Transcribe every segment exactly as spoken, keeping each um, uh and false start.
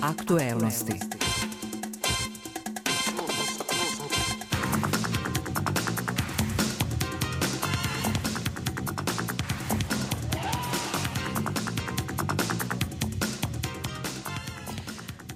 Aktuelnosti.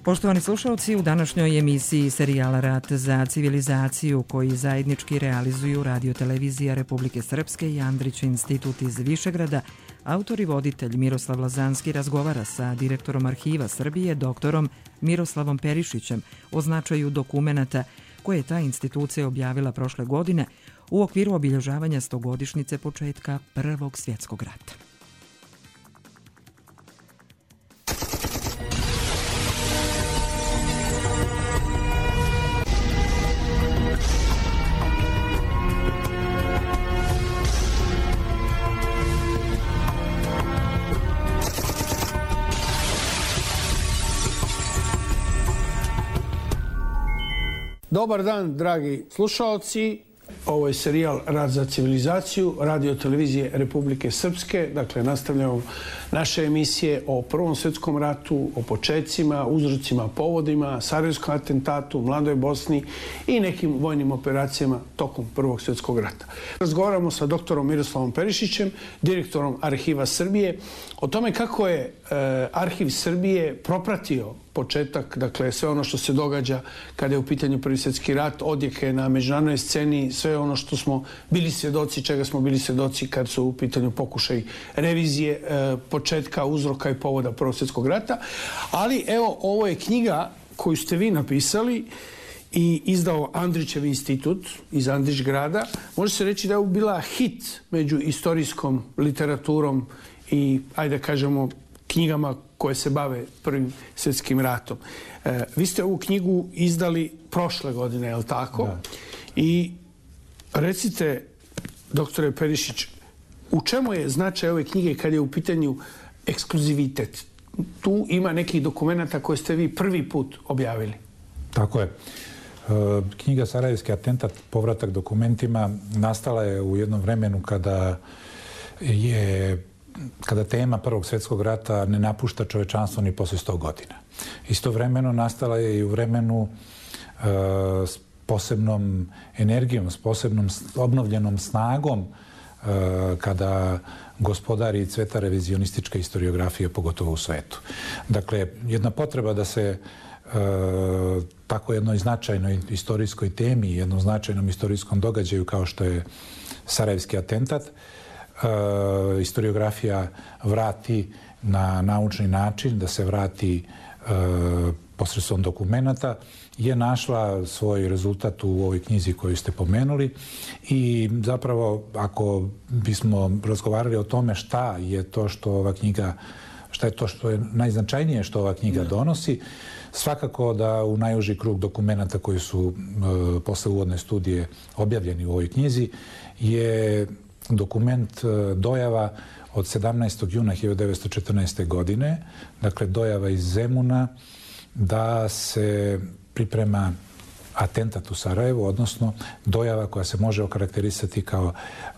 Poštovani slušalci, u današnjoj emisiji serijala Rat za civilizaciju koji zajednički realizuju Radio televizija Republike Srpske i Andrić institut iz Višegrada, autor i voditelj Miroslav Lazanski razgovara sa direktorom Arhiva Srbije, doktorom Miroslavom Perišićem, o značaju dokumenata koje je ta institucija objavila prošle godine u okviru obilježavanja stogodišnjice početka Prvog svjetskog rata. Dobar dan, dragi slušaoci. Ovo je serijal Rat za civilizaciju Radio televizije Republike Srpske. Dakle, nastavljamo naše emisije o Prvom svjetskom ratu, o početcima, uzrocima, povodima, Sarajevskom atentatu, Mladoj Bosni i nekim vojnim operacijama tokom Prvog svjetskog rata. Razgovaramo sa doktorom Miroslavom Perišićem, direktorom Arhiva Srbije, o tome kako je e, Arhiv Srbije propratio početak, dakle sve ono što se događa kada je u pitanju Prvi svjetski rat, odjeke na međunarodnoj sceni, sve ono što smo bili svjedoci, čega smo bili svjedoci kad su u pitanju pokušaj revizije e, početka, uzroka i povoda Prvog svjetskog rata. Ali evo, ovo je knjiga koju ste vi napisali i izdao Andrićev institut iz Andrićgrada. Može se reći da je ovo bila hit među istorijskom literaturom i, ajde kažemo, knjigama koje se bave Prvim svjetskim ratom. E, vi ste ovu knjigu izdali prošle godine, je li tako? Da. I recite, doktore Perišić, u čemu je značaj ove knjige kad je u pitanju ekskluzivitet? Tu ima nekih dokumenta koje ste vi prvi put objavili. Tako je. E, knjiga Sarajevski atentat, povratak dokumentima, nastala je u jednom vremenu kada je kada tema Prvog svjetskog rata ne napušta čovečanstvo ni posle sto godina. Istovremeno nastala je i u vremenu e, s posebnom energijom, s posebnom obnovljenom snagom e, kada gospodari cveta revizionistička historiografija, pogotovo u svetu. Dakle, jedna potreba da se e, tako jednoj značajnoj istorijskoj temi, jednom značajnom istorijskom događaju kao što je Sarajevski atentat, Uh, historiografija vrati na naučni način, da se vrati uh, posredstvom dokumenata, je našla svoj rezultat u ovoj knjizi koju ste pomenuli i zapravo ako bismo razgovarali o tome šta je to što ova knjiga, šta je to što je najznačajnije što ova knjiga donosi, svakako da u najuži krug dokumenata koji su uh, posle uvodne studije objavljeni u ovoj knjizi je dokument dojava od sedamnaestog juna hiljadu devetsto četrnaeste. godine, dakle dojava iz Zemuna, da se priprema atentat u Sarajevu, odnosno dojava koja se može okarakterisati kao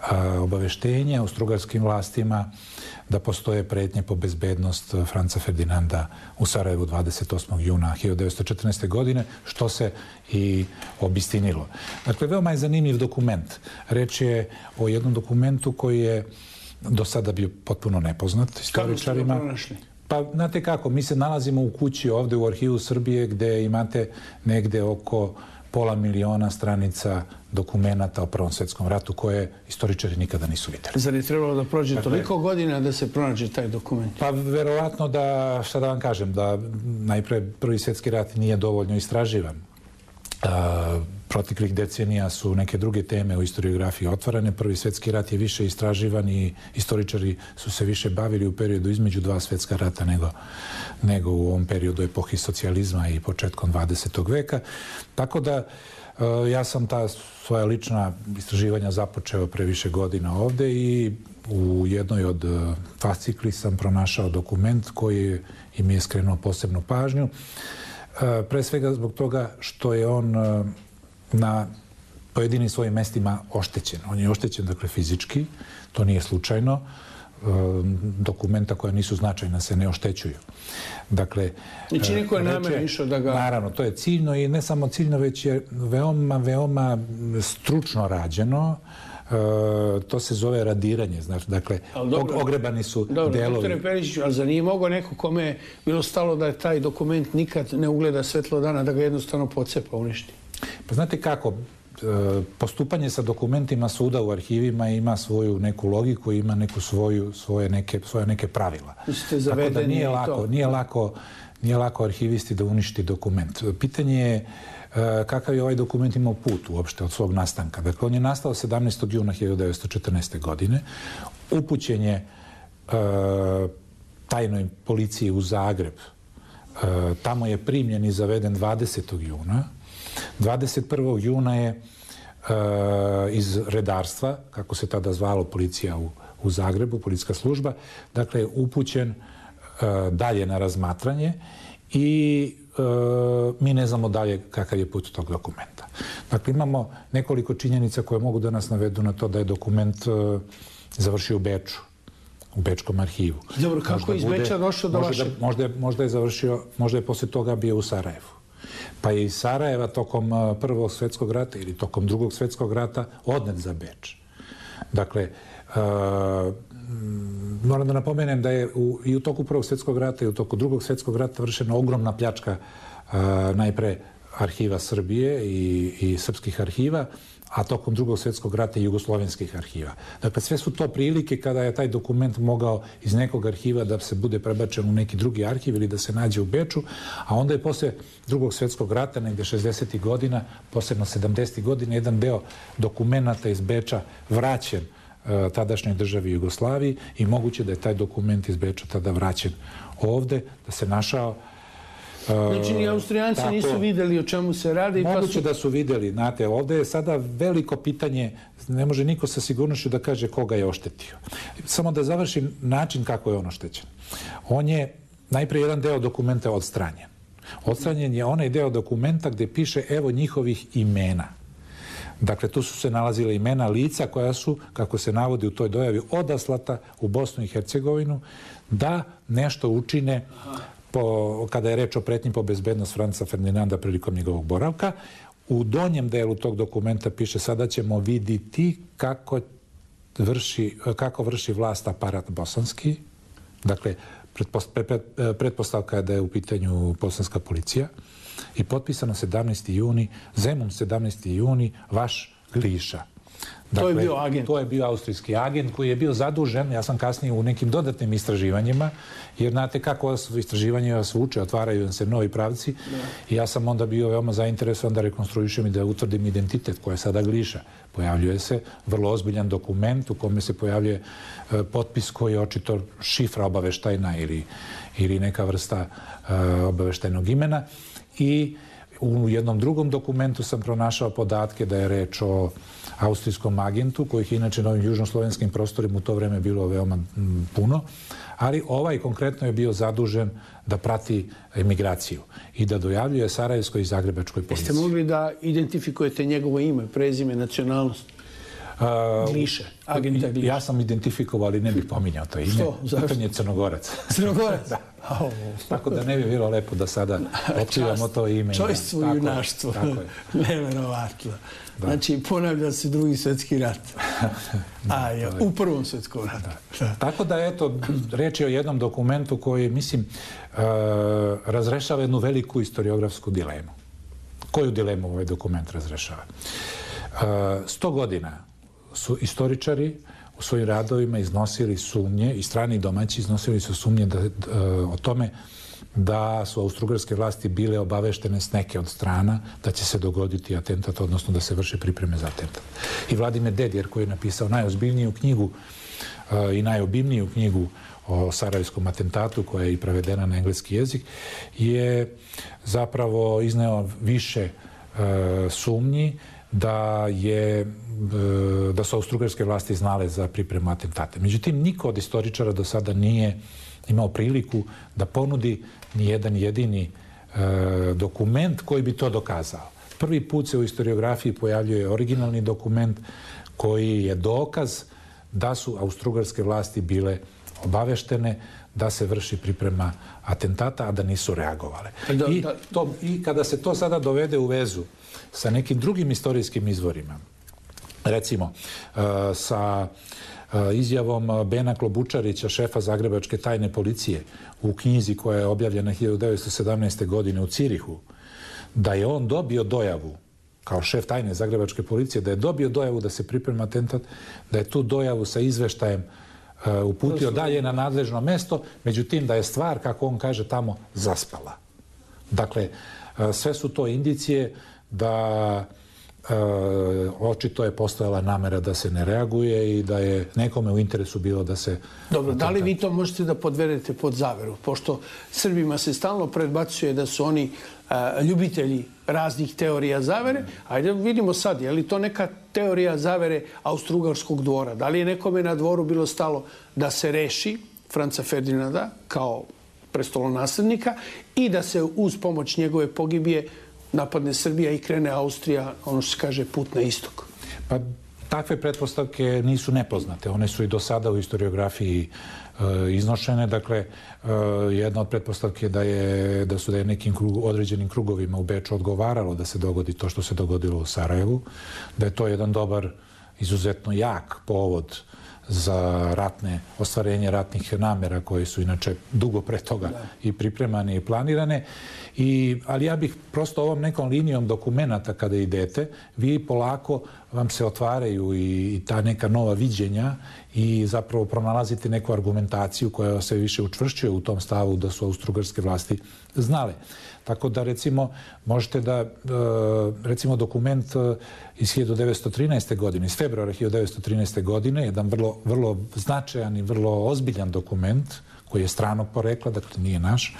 a, obaveštenje austrougarskim vlastima da postoje pretnje po bezbednost Franca Ferdinanda u Sarajevu dvadeset osmog juna hiljadu devetsto četrnaeste. godine, što se i obistinilo. Dakle, veoma je zanimljiv dokument. Reč je o jednom dokumentu koji je do sada bio potpuno nepoznat historičarima. Kako ste ga pronašli? Pa, znate kako, mi se nalazimo u kući ovde u Arhivu Srbije gde imate negde oko pola miliona stranica dokumenata o Prvom svjetskom ratu koje istoričari nikada nisu vidjeli. Zar je trebalo da prođe dakle, toliko godina da se pronađe taj dokument? Pa verovatno da, šta da vam kažem, da najpre Prvi svjetski rat nije dovoljno istraživan. A, proteklih decenija su neke druge teme u historiografiji otvarane. Prvi svjetski rat je više istraživan i istoričari su se više bavili u periodu između dva svjetska rata nego, nego u ovom periodu epohi socijalizma i početkom dvadesetog veka. Tako da ja sam ta svoja lična istraživanja započeo pre više godina ovde i u jednoj od fascikli sam pronašao dokument koji im je skrenuo posebnu pažnju. Pre svega zbog toga što je on na pojedinim svojim mestima oštećen. On je oštećen, dakle, fizički, to nije slučajno. dokumenta koja nisu značajna se ne oštećuju. Dakle, znači niko je namjerno išao da ga... Naravno, to je ciljno i ne samo ciljno, već je veoma, veoma stručno rađeno. Uh, to se zove radiranje, znači, dakle, dobro, ogrebani su dobro, delovi. Doktore Perišiću, ali za nije mogao neko kome je bilo stalo da je taj dokument nikad ne ugleda svetlo dana, da ga jednostavno pocepa, uništi? Pa znate kako, postupanje sa dokumentima suda u arhivima ima svoju neku logiku, ima neku svoju, svoje, neke, svoje neke pravila. Tako da nije lako, nije lako, nije lako arhivisti da uništi dokument. Pitanje je kakav je ovaj dokument imao put uopšte od svog nastanka. Dakle, on je nastao sedamnaestog juna hiljadu devetsto četrnaeste. godine. Upućen je uh, tajnoj policiji u Zagreb. Uh, tamo je primljen i zaveden dvadesetog juna. dvadeset prvog juna je uh, iz redarstva, kako se tada zvalo policija u, u Zagrebu, policijska služba, dakle, upućen uh, dalje na razmatranje i Uh, mi ne znamo dalje kakav je put tog dokumenta. Dakle, imamo nekoliko činjenica koje mogu da nas navedu na to da je dokument uh, završio u Beču, u Bečkom arhivu. Dobro, kako je iz Beča došao do vaše? Možda, možda je završio, možda je posle toga bio u Sarajevu. Pa je iz Sarajeva tokom uh, Prvog svjetskog rata ili tokom Drugog svjetskog rata odnet za Beč. Dakle, uh, moram da napomenem da je u, i u toku Prvog svjetskog rata i u toku Drugog svjetskog rata vršena ogromna pljačka a, najpre arhiva Srbije i, i srpskih arhiva, a tokom Drugog svjetskog rata i jugoslovenskih arhiva. Dakle, sve su to prilike kada je taj dokument mogao iz nekog arhiva da se bude prebačen u neki drugi arhiv ili da se nađe u Beču, a onda je posle Drugog svjetskog rata, negde šezdesetih godina, posebno sedamdesetih godina, jedan deo dokumenta iz Beča vraćen tadašnjoj državi Jugoslaviji i moguće da je taj dokument iz Beča tada vraćen ovde, da se našao. Znači, ni Austrijanci tako, nisu videli o čemu se radi. Moguće pa su... da su videli. Znate, ovde je sada veliko pitanje, ne može niko sa sigurnošću da kaže koga je oštetio. Samo da završim način kako je on oštećen. On je najpre jedan deo dokumenta odstranjen. Odstranjen je onaj deo dokumenta gde piše evo njihovih imena. Dakle, tu su se nalazile imena lica koja su, kako se navodi u toj dojavi, odaslata u Bosnu i Hercegovinu da nešto učine po, kada je reč o pretnji po bezbednost Franca Ferdinanda prilikom njegovog boravka. U donjem delu tog dokumenta piše sada ćemo vidjeti kako vrši, kako vrši vlast aparat bosanski. Dakle, pretpostavka je da je u pitanju bosanska policija. I potpisano sedamnaesti juni, Zemun sedamnaesti juni, vaš Gliša. Dakle, to je bio agent. To je bio austrijski agent koji je bio zadužen, ja sam kasnije u nekim dodatnim istraživanjima, jer znate kako istraživanje vas vuče, otvaraju se novi pravci. Da. I ja sam onda bio veoma zainteresovan da rekonstruišem i da utvrdim identitet koja je sada Gliša. Pojavljuje se vrlo ozbiljan dokument u kome se pojavljuje e, potpis koji je očito šifra obaveštajna ili, ili neka vrsta e, obaveštajnog imena. I u jednom drugom dokumentu sam pronašao podatke da je reč o austrijskom agentu, kojih inače na ovim južnoslovenskim prostorima u to vreme bilo veoma puno, ali ovaj konkretno je bio zadužen da prati emigraciju i da dojavljuje sarajevskoj i zagrebačkoj policiji. Jeste mogli da identifikujete njegovo ime, prezime, nacionalnost? Gliše, agenta Gliše. Ja sam identifikovao, ali ne bih pominjao to ime. Što? Zašto? Pitanje je Crnogorac. Crnogorac? Da. Tako da ne bi bilo lepo da sada otkrivamo to ime. Čojstvo i junaštvo. Neverovatno. Znači, ponavlja se Drugi svjetski rat. A je, u Prvom svjetskom ratu. Da. Tako da, eto, reč je o jednom dokumentu koji, mislim, uh, razrešava jednu veliku historiografsku dilemu. Koju dilemu ovaj dokument razrešava? Uh, sto godina su istoričari u svojim radovima iznosili sumnje, i strani i domaći iznosili su sumnje da, da, o tome da su austrougarske vlasti bile obaveštene s neke od strana da će se dogoditi atentat, odnosno da se vrše pripreme za atentat. I Vladimir Dedijer, koji je napisao najozbiljniju knjigu uh, i najobimniju knjigu o sarajevskom atentatu, koja je i prevedena na engleski jezik, je zapravo izneo više uh, sumnji da je da su austrougarske vlasti znale za pripremu atentate. Međutim, niko od istoričara do sada nije imao priliku da ponudi ni jedan jedini e, dokument koji bi to dokazao. Prvi put se u historiografiji pojavljuje originalni dokument koji je dokaz da su austrougarske vlasti bile obaveštene da se vrši priprema atentata, a da nisu reagovale. Da, I, da. to, I kada se to sada dovede u vezu sa nekim drugim istorijskim izvorima, recimo sa izjavom Bena Klobučarića, šefa Zagrebačke tajne policije, u knjizi koja je objavljena hiljadu devetsto sedamnaeste. godine u Cirihu, da je on dobio dojavu, kao šef tajne Zagrebačke policije, da je dobio dojavu da se priprema atentat, da je tu dojavu sa izveštajem uputio dalje na nadležno mesto, međutim da je stvar, kako on kaže, tamo zaspala. Dakle, sve su to indicije da E, očito je postojala namera da se ne reaguje i da je nekome u interesu bilo da se... Dobro, da li vi to možete da podvedete pod zaveru? Pošto Srbima se stalno predbacuje da su oni a, ljubitelji raznih teorija zavere. Ajde vidimo sad, je li to neka teorija zavere austrougarskog dvora? Da li je nekome na dvoru bilo stalo da se reši Franca Ferdinanda kao prestolonaslednika i da se uz pomoć njegove pogibije napadne Srbija i krene Austrija, ono što se kaže, put na istok? Pa takve pretpostavke nisu nepoznate. One su i do sada u historiografiji e, iznošene. Dakle, e, jedna od pretpostavke je da, je, da su da je nekim krug, određenim krugovima u Beču odgovaralo da se dogodi to što se dogodilo u Sarajevu, da je to jedan dobar, izuzetno jak povod za ratne, ostvarenje ratnih namera koje su inače dugo pre toga i pripremane i planirane. I, ali ja bih prosto ovom nekom linijom dokumenata kada idete, vi polako vam se otvaraju i, i ta neka nova viđenja i zapravo pronalazite neku argumentaciju koja se više učvršćuje u tom stavu da su austrougarske vlasti znale. Tako da, recimo, možete da, recimo, dokument iz hiljadu devetsto trinaeste. godine, iz februara hiljadu devetsto trinaeste. godine, jedan vrlo, vrlo značajan i vrlo ozbiljan dokument, koji je stranog porekla, dakle nije naš,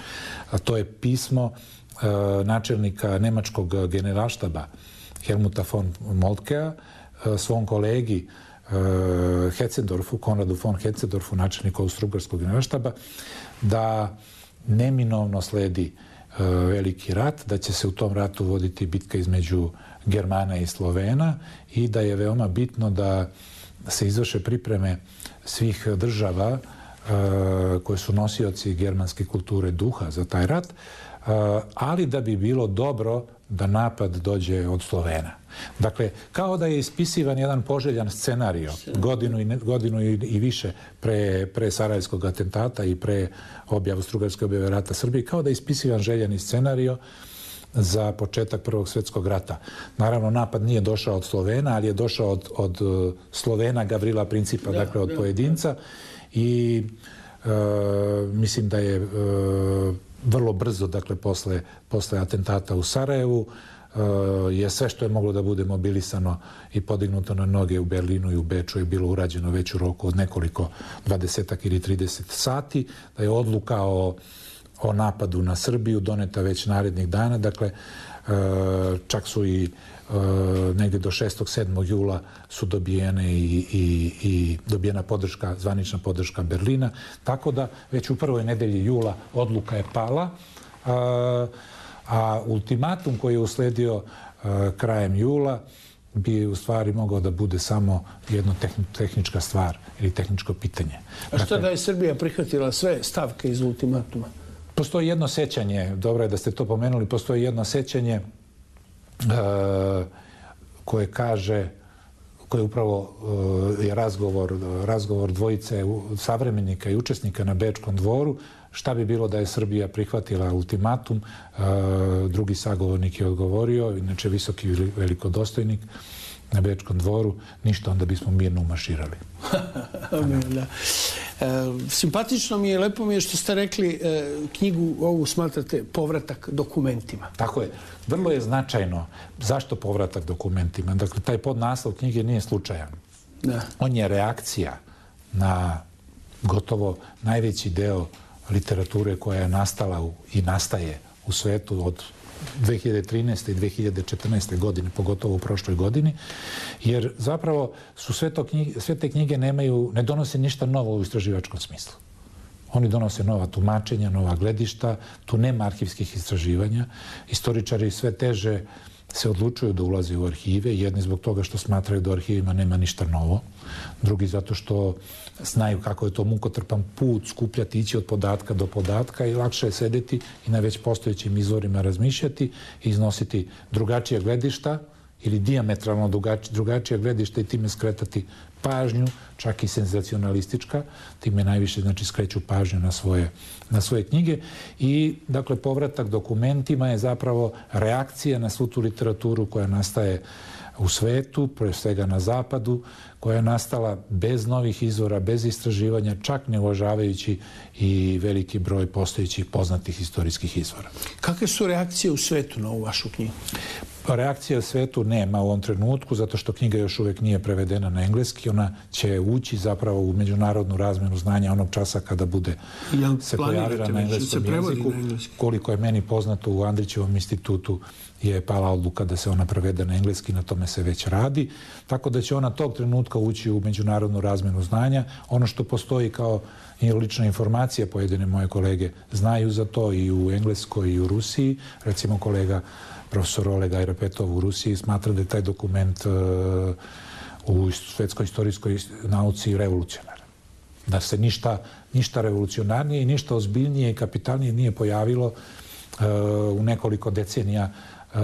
a to je pismo e, načelnika nemačkog generalštaba Helmuta von Moltkea e, svom kolegi e, Hetzendorfu, Konradu von Hetzendorfu, načelniku austrougarskog generalštaba, da neminovno sledi e, veliki rat, da će se u tom ratu voditi bitka između Germana i Slovena i da je veoma bitno da se izvrše pripreme svih država koje su nosioci germanske kulture duha za taj rat, ali da bi bilo dobro da napad dođe od Slovena. Dakle, kao da je ispisivan jedan poželjan scenario godinu i, godinu i, i više pre, pre Sarajevskog atentata i pre objavu Austrougarske objave rata Srbiji, kao da je ispisivan željani scenario za početak Prvog svjetskog rata. Naravno, napad nije došao od Slovena, ali je došao od, od Slovena Gavrila Principa, da, dakle od da, pojedinca. I e, mislim da je e, vrlo brzo, dakle, posle, posle atentata u Sarajevu, e, je sve što je moglo da bude mobilisano i podignuto na noge u Berlinu i u Beču je bilo urađeno već u roku od nekoliko dvadesetak ili trideset sati, da je odluka o, o napadu na Srbiju doneta već narednih dana, dakle, e, čak su i negdje do šestog sedmog jula su dobijene i, i, i dobijena podrška, zvanična podrška Berlina, tako da već u prvoj nedelji jula odluka je pala, a, a ultimatum koji je usledio a, krajem jula bi u stvari mogao da bude samo jedno tehni, tehnička stvar ili tehničko pitanje. A što dakle, da je Srbija prihvatila sve stavke iz ultimatuma? Postoji jedno sećanje, dobro je da ste to pomenuli, postoji jedno sećanje Uh, koje kaže, koje upravo uh, je razgovor, razgovor dvojice savremenika i učesnika na Bečkom dvoru, šta bi bilo da je Srbija prihvatila ultimatum. Uh, drugi sagovornik je odgovorio, inače visoki velikodostojnik na Bečkom dvoru, ništa, onda bismo mirno umarširali. Da. E, simpatično mi je, lepo mi je što ste rekli, e, knjigu ovu smatrate povratak dokumentima. Tako je. Vrlo je značajno. Zašto povratak dokumentima? Dakle, taj podnaslov knjige nije slučajan. Da. On je reakcija na gotovo najveći deo literature koja je nastala u, i nastaje u svetu od dve hiljade trinaeste i dve hiljade četrnaeste. godine, pogotovo u prošloj godini, jer zapravo su sve, to knjige, sve te knjige nemaju, ne donose ništa novo u istraživačkom smislu. Oni donose nova tumačenja, nova gledišta, tu nema arhivskih istraživanja. Istoričari sve teže se odlučuju da ulaze u arhive, jedni zbog toga što smatraju da u arhivima nema ništa novo, drugi zato što znaju kako je to mukotrpan put, skupljati, ići od podatka do podatka i lakše je sedeti i na već postojećim izvorima razmišljati i iznositi drugačija gledišta ili dijametralno drugačija gledišta i time skretati pažnju, čak i senzacionalistička, time najviše znači skreću pažnju na svoje, na svoje knjige i dakle povratak dokumentima je zapravo reakcija na svu tu literaturu koja nastaje u svetu, pre svega na zapadu, koja je nastala bez novih izvora, bez istraživanja, čak ne uvažavajući i veliki broj postojećih poznatih istorijskih izvora. Kakve su reakcije u svetu na ovu vašu knjigu? Reakcija u svetu nema u ovom trenutku, zato što knjiga još uvek nije prevedena na engleski. Ona će ući zapravo u međunarodnu razmenu znanja onog časa kada bude se pojavila na engleskom jeziku. Koliko je meni poznato, u Andrićevom institutu je pala odluka da se ona prevede na engleski, na tome se već radi. Tako da će ona tog trenutka ući u međunarodnu razmenu znanja. Ono što postoji kao lična informacija, pojedine moje kolege znaju za to i u Engleskoj i u Rusiji. Recimo kolega profesor Oleg Ajrapetov u Rusiji smatra da je taj dokument u svetskoj istorijskoj nauci revolucionaran. Da se ništa, ništa revolucionarnije i ništa ozbiljnije i kapitalnije nije pojavilo u nekoliko decenija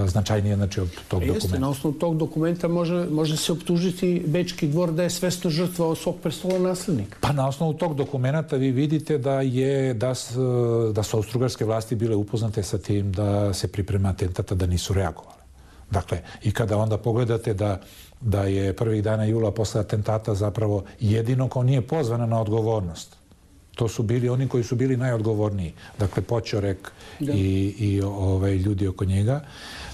značajnije znači od tog dokumenta. Jeste, na osnovu tog dokumenta može, može se optužiti Bečki dvor da je svesno žrtvovao svog prestola naslednika. Pa na osnovu tog dokumenta vi vidite da je da, da su austrougarske vlasti bile upoznate sa tim da se priprema atentata, da nisu reagovale. Dakle, i kada onda pogledate da, da je prvih dana jula posle atentata zapravo jedino ko nije pozvana na odgovornost, to su bili oni koji su bili najodgovorniji. Dakle, Poćorek i, i ovaj, ljudi oko njega.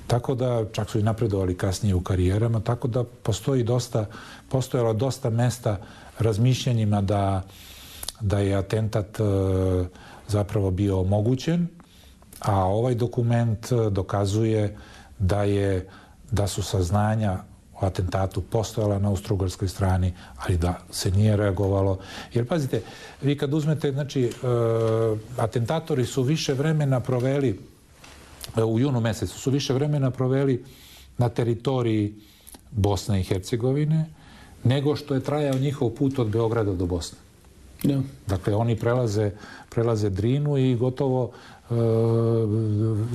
Tako da, čak su i napredovali kasnije u karijerama, tako da postoji dosta, postojalo dosta mesta razmišljanjima da, da je atentat e, zapravo bio omogućen, a ovaj dokument dokazuje da, je, da su saznanja o atentatu postojala na austrougarskoj strani, ali da se nije reagovalo. Jer, pazite, vi kad uzmete, znači, e, atentatori su više vremena proveli, e, u junu mesecu su više vremena proveli na teritoriji Bosne i Hercegovine, nego što je trajao njihov put od Beograda do Bosne. Ja. Dakle, oni prelaze, prelaze Drinu i gotovo e,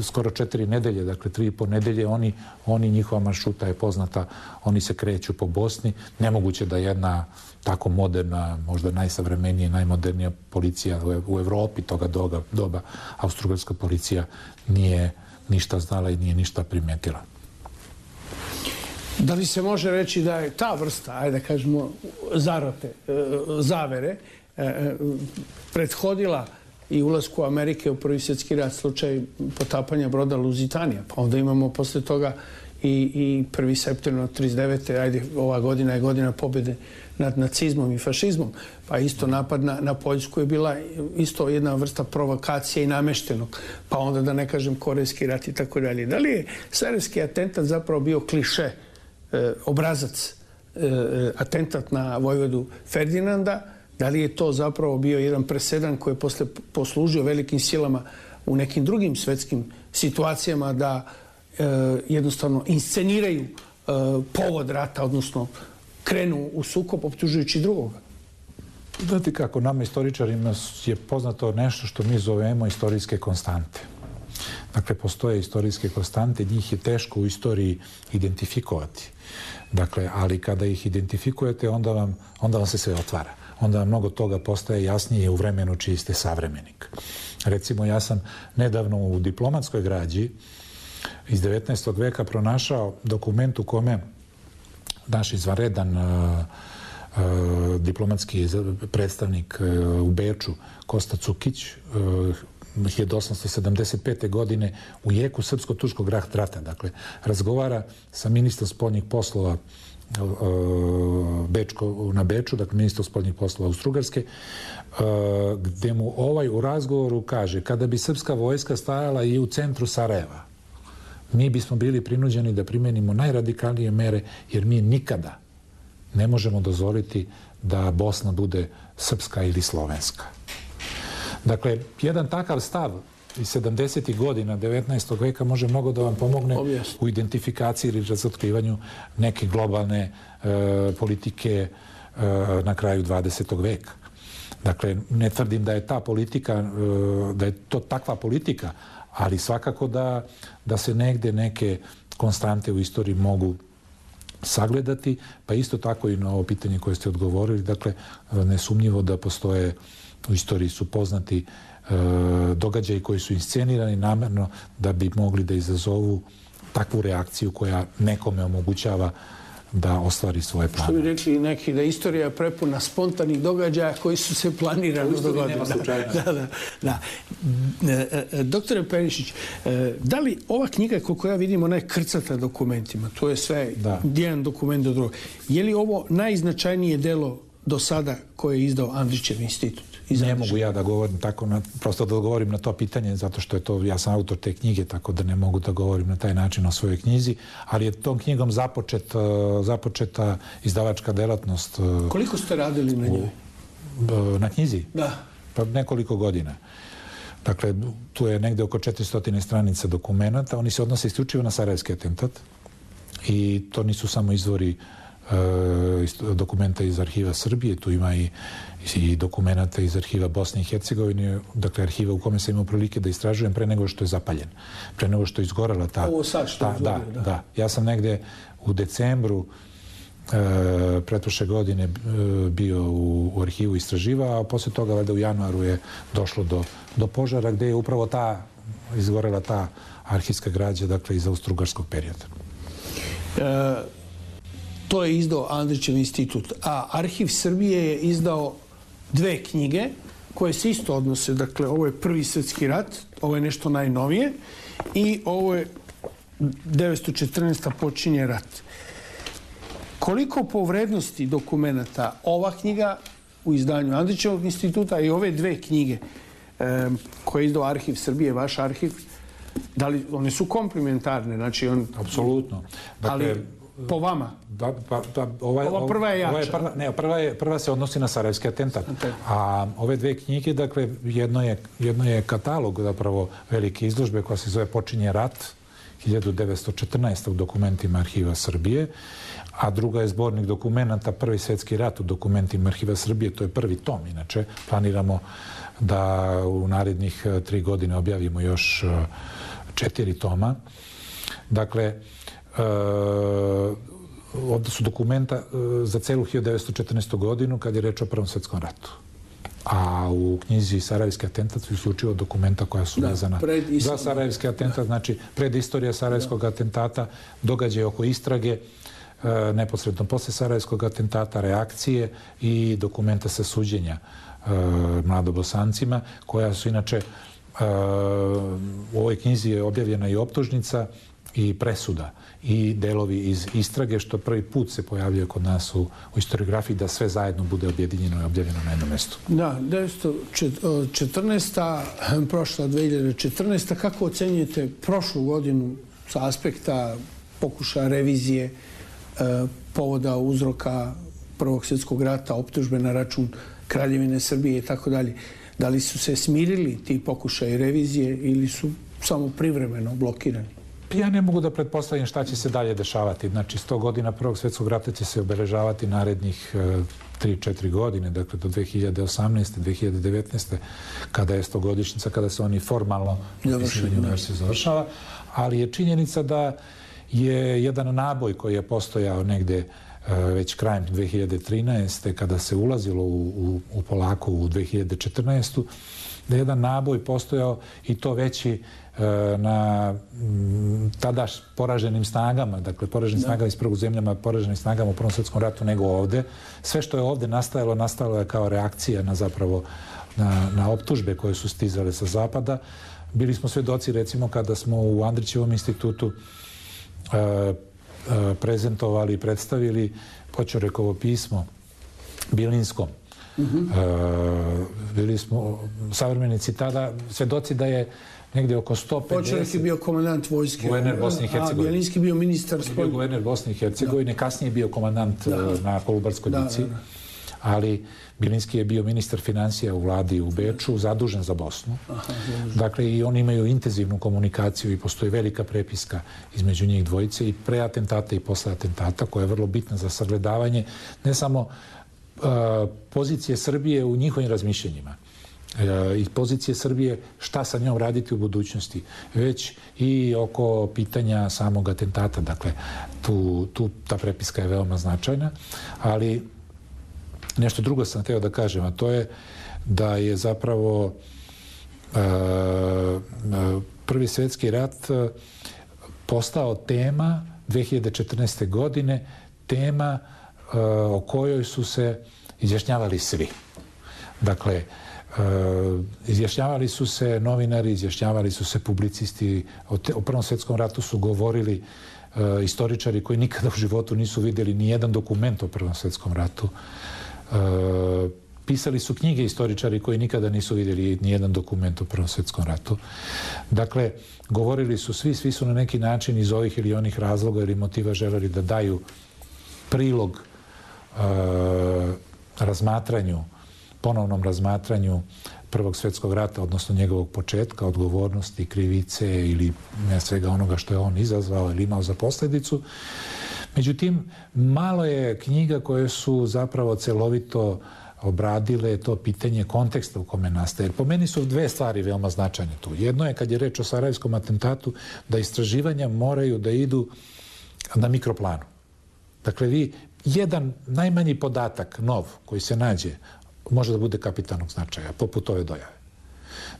skoro četiri nedelje, dakle tri i po nedelje, oni, oni, njihova maršruta je poznata, oni se kreću po Bosni. Nemoguće da jedna tako moderna, možda najsavremenija, najmodernija policija u, u Evropi toga doga, doba, austrougarska policija nije ništa znala i nije ništa primetila. Da li se može reći da je ta vrsta, ajde da kažemo, zarote, zavere, prethodila i ulasku Amerike u Prvi svjetski rat, slučaj potapanja broda Luzitanija. Pa onda imamo posle toga i, i prvi septembar trideset devete. Ajde, ova godina je godina pobjede nad nacizmom i fašizmom. Pa isto napad na, na Poljsku je bila isto jedna vrsta provokacije i nameštenog. Pa onda da ne kažem Korejski rat i tako dalje. Da li je sarajevski atentat zapravo bio kliše, eh, obrazac, eh, atentat na vojvodu Ferdinanda? Da li je to zapravo bio jedan presedan koji je posle poslužio velikim silama u nekim drugim svetskim situacijama da e, jednostavno insceniraju e, povod rata, odnosno krenu u sukob optužujući drugoga? Znate kako, nama istoričarima je poznato nešto što mi zovemo istorijske konstante. Dakle, postoje istorijske konstante, njih je teško u istoriji identifikovati. Dakle, ali kada ih identifikujete, onda vam, onda vam se sve otvara. Onda mnogo toga postaje jasnije u vremenu čiji ste savremenik. Recimo, ja sam nedavno u diplomatskoj građi iz devetnaestog veka pronašao dokument u kome naš izvanredan uh, uh, diplomatski predstavnik uh, u Beču, Kosta Cukić, uh, hiljadu osamsto sedamdeset pete. godine u jeku srpsko-turskog rata, dakle, razgovara sa ministrom spoljnih poslova Bečko, na Beču, dakle ministar spoljnih poslova Austrougarske, gdje mu ovaj u razgovoru kaže: kada bi srpska vojska stajala i u centru Sarajeva, mi bismo bili prinuđeni da primenimo najradikalnije mere, jer mi nikada ne možemo dozvoliti da Bosna bude srpska ili slovenska. Dakle, jedan takav stav iz sedamdesetih godina devetnaestog veka može mnogo da vam pomogne Objesno. u identifikaciji ili razotkrivanju neke globalne e, politike e, na kraju dvadesetog veka. Dakle, ne tvrdim da je ta politika, e, da je to takva politika, ali svakako da, da se negde neke konstante u istoriji mogu sagledati, pa isto tako i na ovo pitanje koje ste odgovorili. Dakle, nesumnjivo da postoje, u istoriji su poznati e, događaji koji su inscenirani namerno da bi mogli da izazovu takvu reakciju koja nekome omogućava da ostvari svoje plane. Što bi rekli neki, da istorija je prepuna spontanih događaja koji su se planirano dogodili. Da, da, da. Doktore Perišić, da li ova knjiga, koliko ja vidim, ona je krcata dokumentima, to je sve da. jedan dokument do drugog. Je li ovo najznačajnije delo do sada koje je izdao Andrićev institut? Ne mogu ja da govorim tako, na, prosto da odgovorim na to pitanje, zato što je to, ja sam autor te knjige, tako da ne mogu da govorim na taj način o svojoj knjizi, ali je tom knjigom započet, započeta izdavačka delatnost. Koliko ste radili na njoj? Na knjizi? Da. Pa nekoliko godina. Dakle, tu je negde oko četiristo stranica dokumenta, oni se odnose isključivo na sarajevski atentat i to nisu samo izvori dokumenta iz arhiva Srbije, tu ima i, i dokumenta iz arhiva Bosne i Hercegovine, dakle arhiva u kome sam imao prilike da istražujem pre nego što je zapaljen, pre nego što je izgorela ta... Ovo sad što ta, je izgorio, da, da. da. Ja sam negde u decembru e, pretprošle godine e, bio u, u arhivu istraživao, a posle toga valjda u januaru je došlo do, do požara gde je upravo ta, izgorela ta arhivska građa, dakle iz austrougarskog perioda. E, To je izdao Andrićev institut, a Arhiv Srbije je izdao dve knjige koje se isto odnose. Dakle, ovo je Prvi svjetski rat, ovo je nešto najnovije i ovo je devetsto četrnaesta počinje rat. Koliko po vrednosti dokumenta ova knjiga u izdanju Andrićevog instituta i ove dve knjige e, koje je izdao Arhiv Srbije, vaš arhiv, da li one su komplementarne? Znači on... Apsolutno. Dakle, ali po vama? Da, pa, pa, ovaj, ova prva je jača. Ova je prva, ne, prva, je, prva se odnosi na sarajevski atentat. Okay. A ove dve knjige, dakle, jedno je, jedno je katalog zapravo velike izložbe koja se zove Počinje rat, hiljadu devetsto četrnaeste. u dokumentima Arhiva Srbije, a druga je zbornik dokumenta Prvi svjetski rat u dokumentima Arhiva Srbije, to je prvi tom. Inače, planiramo da u narednih tri godine objavimo još četiri toma. Dakle, Uh, ovdje su dokumenta uh, za celu hiljadu devetsto četrnaestu. godinu kad je reč o Prvom svjetskom ratu. A u knjizi Sarajevski atentat su isključivo dokumenta koja su da, vezana za Sarajevski atentat, da. Znači predistorija Sarajevskog da. atentata, događaje oko istrage, uh, neposredno posle Sarajevskog atentata, reakcije i dokumenta sa suđenja uh, mladobosancima, koja su inače uh, u ovoj knjizi je objavljena i optužnica i presuda i delovi iz istrage, što prvi put se pojavljuje kod nas u, u historiografiji, da sve zajedno bude objedinjeno i objavljeno na jednom mjestu. Da, devetsto četrnaesta. prošla dve hiljade četrnaesta. Kako ocenjujete prošlu godinu sa aspekta pokušaja revizije, e, povoda uzroka Prvog svjetskog rata, optužbe na račun Kraljevine Srbije i tako dalje? Da li su se smirili ti pokušaji revizije ili su samo privremeno blokirani? Ja ne mogu da pretpostavim šta će se dalje dešavati. Znači, sto godina Prvog svjetskog rata će se obeležavati narednih tri četiri godine, dakle do dve hiljade osamnaeste. dve hiljade devetnaeste. kada je stogodišnjica, kada se oni formalno se završava. Ali je činjenica da je jedan naboj koji je postojao negde već krajem dve hiljade trinaeste. kada se ulazilo u, u, u polako u dve hiljade četrnaestu. da je jedan naboj postojao i to veći na tada poraženim snagama, dakle poraženim snagama iz prvog zemljama, poraženim snagama u Prvom svjetskom ratu nego ovde. Sve što je ovde nastajalo, nastalo je kao reakcija na zapravo na, na optužbe koje su stizale sa zapada. Bili smo svedoci, recimo, kada smo u Andrićevom institutu e, e, prezentovali i predstavili Poćorekovo pismo Bilinskom. Mm-hmm. e, bili smo savremenici tada svedoci da je negdje oko sto pedeset... Počelnik je bio komandant vojske. Guverner Bosne i Hercegovine. A Bjelinski bio ministar... On je bio guverner Bosne i Hercegovine, kasnije je bio komandant da. na Kolubarskoj bici. ali Bilinski je bio ministar financija u vladi u Beču, zadužen za Bosnu. Aha, dakle, i oni imaju intenzivnu komunikaciju i postoji velika prepiska između njih dvojice i pre atentata i posle atentata, koja je vrlo bitna za sagledavanje ne samo uh, pozicije Srbije u njihovim razmišljenjima, i pozicije Srbije šta sa njom raditi u budućnosti, već i oko pitanja samog atentata. Dakle, tu, tu ta prepiska je veoma značajna, ali nešto drugo sam hteo da kažem, a to je da je zapravo uh, Prvi svjetski rat postao tema dve hiljade četrnaeste. godine, tema uh, o kojoj su se izjašnjavali svi. Dakle, Uh, izjašnjavali su se novinari, izjašnjavali su se publicisti. O, te, o Prvom svjetskom ratu su govorili uh, istoričari koji nikada u životu nisu vidjeli ni jedan dokument o Prvom svjetskom ratu. Uh, pisali su knjige istoričari koji nikada nisu vidjeli ni jedan dokument o Prvom svjetskom ratu. Dakle, govorili su svi, svi su na neki način iz ovih ili onih razloga ili motiva želeli da daju prilog uh, razmatranju ponovnom razmatranju Prvog svjetskog rata, odnosno njegovog početka, odgovornosti, krivice ili svega onoga što je on izazvao ili imao za posljedicu. Međutim, malo je knjiga koje su zapravo celovito obradile to pitanje konteksta u kome nastaje. Jer po meni su dve stvari veoma značajne tu. Jedno je, kad je reč o Sarajevskom atentatu, da istraživanja moraju da idu na mikroplanu. Dakle, vi jedan najmanji podatak, nov, koji se nađe, može da bude kapitalnog značaja, poput ove dojave.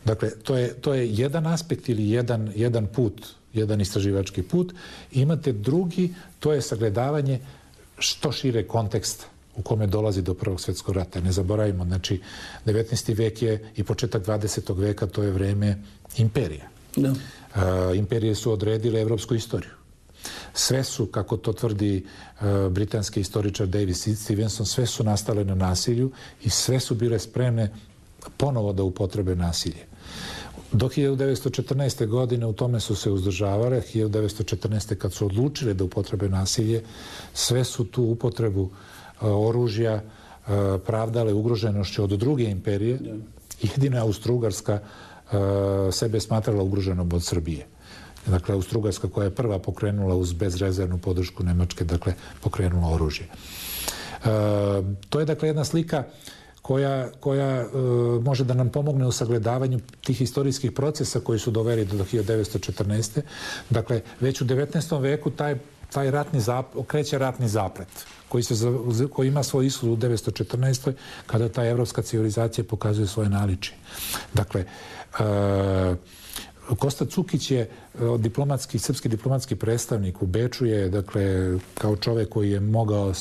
Dakle, to je, to je jedan aspekt ili jedan, jedan put, jedan istraživački put. Imate drugi, to je sagledavanje što šire konteksta u kome dolazi do Prvog svjetskog rata. Ne zaboravimo, znači, devetnaesti. vek je i početak dvadesetog. veka, to je vreme imperija. Da. Uh, imperije su odredile evropsku istoriju. Sve su, kako to tvrdi uh, britanski istoričar David Stevenson, sve su nastale na nasilju i sve su bile spremne ponovo da upotrebe nasilje. Do hiljadu devetsto četrnaeste. godine u tome su se uzdržavale. hiljadu devetsto četrnaeste. kad su odlučile da upotrebe nasilje, sve su tu upotrebu uh, oružja uh, pravdale ugroženošću od druge imperije. Jedina Austro-Ugarska uh, sebe smatrala ugroženom od Srbije. Dakle, Austro-Ugarska, koja je prva pokrenula uz bezrezervnu podršku Nemačke, dakle, pokrenula oružje. E, to je, dakle, jedna slika koja, koja e, može da nam pomogne u sagledavanju tih istorijskih procesa koji su doveli do hiljadu devetsto četrnaeste. Dakle, već u devetnaestom. veku taj, taj ratni zap, okreće ratni zaplet koji, se, koji ima svoj ishod u devetsto četrnaestoj. kada ta evropska civilizacija pokazuje svoje naličje. Dakle, e, Kosta Cukić je diplomatski, srpski diplomatski predstavnik u Beču, je, dakle, kao čovjek koji je mogao,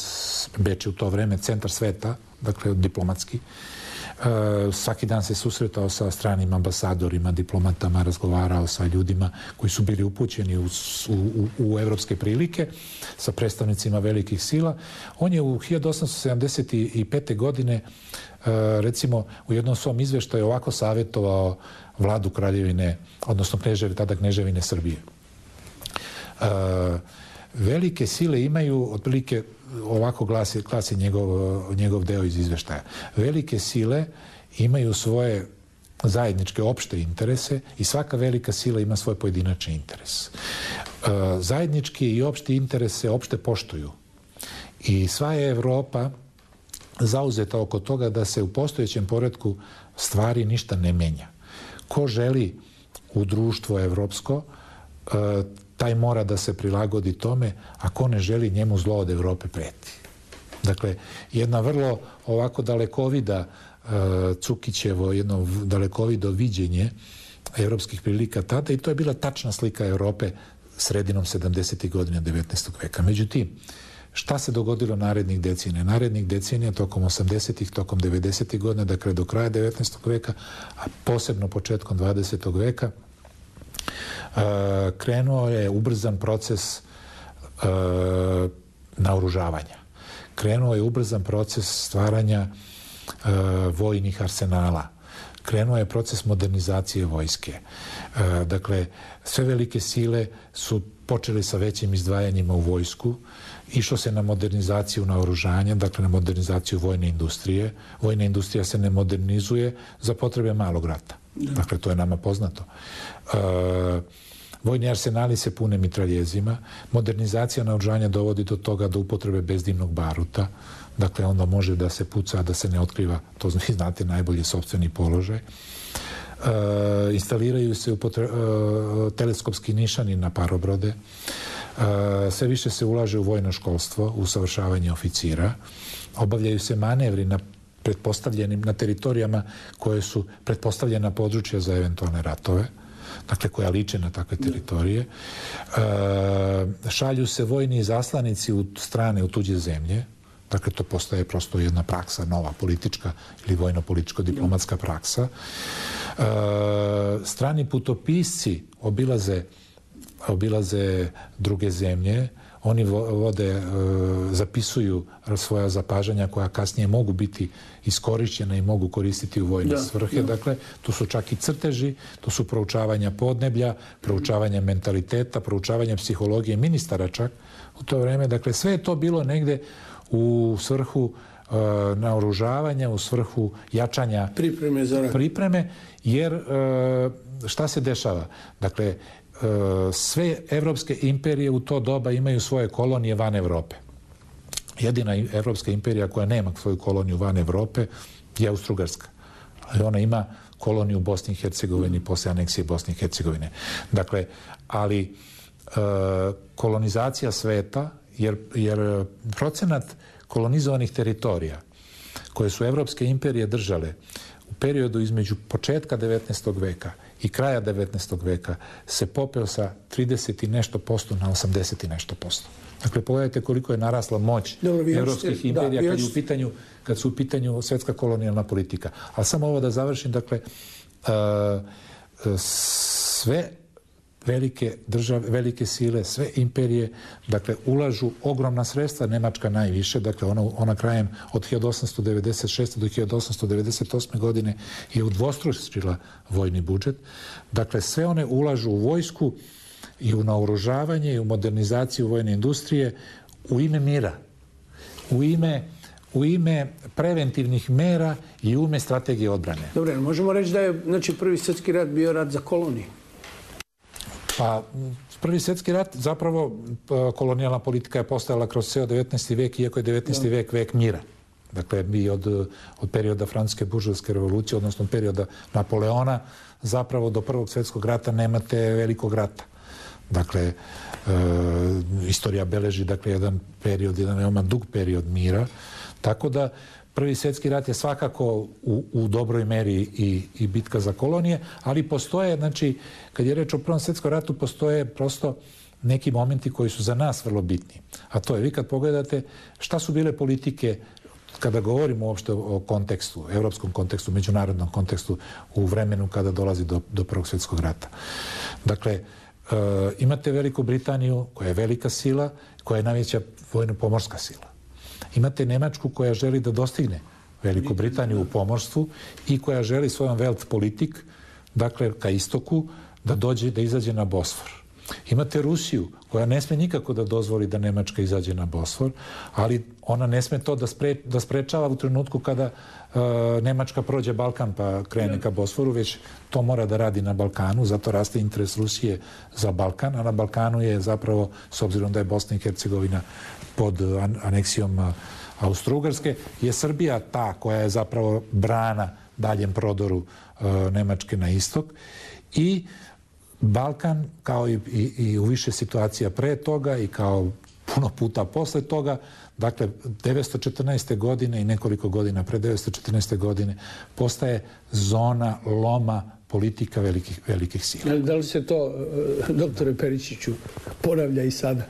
Beč je u to vreme centar sveta, dakle, diplomatski. E, svaki dan se susretao sa stranim ambasadorima, diplomatama, razgovarao sa ljudima koji su bili upućeni u, u, u evropske prilike, sa predstavnicima velikih sila. On je u hiljadu osamsto sedamdeset pete. godine, e, recimo, u jednom svom izveštaju ovako savjetovao vladu Kraljevine, odnosno kneževi, tada kneževine Srbije. E, velike sile imaju, otprilike, ovako glasi, glasi njegov, njegov deo iz izveštaja. Velike sile imaju svoje zajedničke opšte interese i svaka velika sila ima svoj pojedinačni interes. E, zajednički i opšti interes se opšte poštuju. I sva je Evropa zauzeta oko toga da se u postojećem poretku stvari ništa ne menja. Ko želi u društvo evropsko, taj mora da se prilagodi tome, a ko ne želi, njemu zlo od Evrope preti. Dakle, jedna vrlo ovako dalekovida Cukićevo, jedno dalekovido viđenje evropskih prilika tada, i to je bila tačna slika Evrope sredinom sedamdesetih. godina devetnaestog. veka. Međutim, šta se dogodilo narednih decenija? Narednih decenija tokom osamdesetih, tokom devedesetih. godina, dakle do kraja devetnaestog. veka, a posebno početkom dvadesetog. veka, uh, krenuo je ubrzan proces uh, naoružavanja. Krenuo je ubrzan proces stvaranja uh, vojnih arsenala. krenuo je proces modernizacije vojske. Dakle, sve velike sile su počeli sa većim izdvajanjima u vojsku, išlo se na modernizaciju naoružanja, dakle na modernizaciju vojne industrije. Vojna industrija se ne modernizuje za potrebe malog rata. Dakle, to je nama poznato. Vojni arsenali se pune mitraljezima. Modernizacija naoružanja dovodi do toga do upotrebe bezdimnog baruta. Dakle, onda može da se puca, da se ne otkriva, to vi znate najbolje, sopstveni položaj. E, instaliraju se upotre, e, teleskopski nišani na parobrode. E, sve više se ulaže u vojno školstvo, u usavršavanje oficira. Obavljaju se manevri na pretpostavljenim, na teritorijama koje su pretpostavljena područja za eventualne ratove, dakle koja liče na takve teritorije. E, šalju se vojni zaslanici u strane, u tuđe zemlje. Dakle, to postaje prosto jedna praksa, nova politička ili vojno-političko-diplomatska praksa. E, strani putopisci obilaze, obilaze druge zemlje. Oni vode, e, zapisuju svoja zapažanja koja kasnije mogu biti iskorišćena i mogu koristiti u vojne da, svrhe. Da. Dakle, tu su čak i crteži, tu su proučavanja podneblja, proučavanja mentaliteta, proučavanja psihologije ministara čak u to vreme. Dakle, sve je to bilo negde u svrhu e, naoružavanja, u svrhu jačanja pripreme, za pripreme jer e, šta se dešava? Dakle, e, sve evropske imperije u to doba imaju svoje kolonije van Evrope. Jedina evropska imperija koja nema svoju koloniju van Evrope je Austro-Ugarska. Ali ona ima koloniju u Bosni i Hercegovini posle aneksije Bosne i Hercegovine. Dakle, ali e, kolonizacija sveta, jer, jer procenat kolonizovanih teritorija koje su evropske imperije držale u periodu između početka devetnaestog veka i kraja devetnaestog veka se popeo sa trideset i nešto posto na osamdeset i nešto posto. Dakle, pogledajte koliko je narasla moć Dobro, evropskih imperija da, kad, u pitanju, kad su u pitanju svetska kolonijalna politika. Ali samo ovo da završim, dakle, uh, sve velike države, velike sile, sve imperije, dakle, ulažu ogromna sredstva, Nemačka najviše, dakle, ona, ona krajem od hiljadu osamsto devedeset šeste do hiljadu osamsto devedeset osme godine je udvostručila vojni budžet. Dakle, sve one ulažu u vojsku i u naoružavanje i u modernizaciju vojne industrije u ime mira, u ime, u ime preventivnih mera i u ime strategije odbrane. Dobro, možemo reći da je, znači, Prvi svjetski rat bio rat za koloniju? Pa, Prvi svjetski rat, zapravo, kolonijalna politika je postojala kroz ceo devetnaesti vek, iako je devetnaesti vek vek mira. Dakle, mi od, od perioda Francuske buržovske revolucije, odnosno od perioda Napoleona, zapravo do Prvog svjetskog rata nemate velikog rata. Dakle, e, istorija beleži, dakle, jedan period, jedan veoma dug period mira. Tako da, Prvi svjetski rat je svakako u, u dobroj meri i, i bitka za kolonije, ali postoje, znači, kad je reč o Prvom svjetskom ratu, postoje prosto neki momenti koji su za nas vrlo bitni. A to je, vi kad pogledate šta su bile politike, kada govorimo uopšte o kontekstu, evropskom kontekstu, međunarodnom kontekstu, u vremenu kada dolazi do, do Prvog svjetskog rata. Dakle, e, imate Veliku Britaniju, koja je velika sila, koja je najveća vojno-pomorska sila. Imate Nemačku koja želi da dostigne Veliku Britaniju u pomorstvu i koja želi svojom Welt politik, dakle ka istoku, da dođe, da izađe na Bosfor. Imate Rusiju koja ne sme nikako da dozvoli da Nemačka izađe na Bosfor, ali ona ne sme to da, spre, da sprečava u trenutku kada uh, Nemačka prođe Balkan pa krene ka Bosforu, već to mora da radi na Balkanu, zato raste interes Rusije za Balkan, a na Balkanu je zapravo, s obzirom da je Bosna i Hercegovina pod aneksijom Austro-Ugarske, je Srbija ta koja je zapravo brana daljem prodoru uh, Nemačke na istok i Balkan, kao i, i, i u više situacija pre toga i kao puno puta posle toga, dakle, devetsto četrnaeste. godine i nekoliko godina pre devetsto četrnaeste. godine postaje zona loma politika velikih, velikih sila. Da li se to, doktore Peričiću, ponavlja i sada?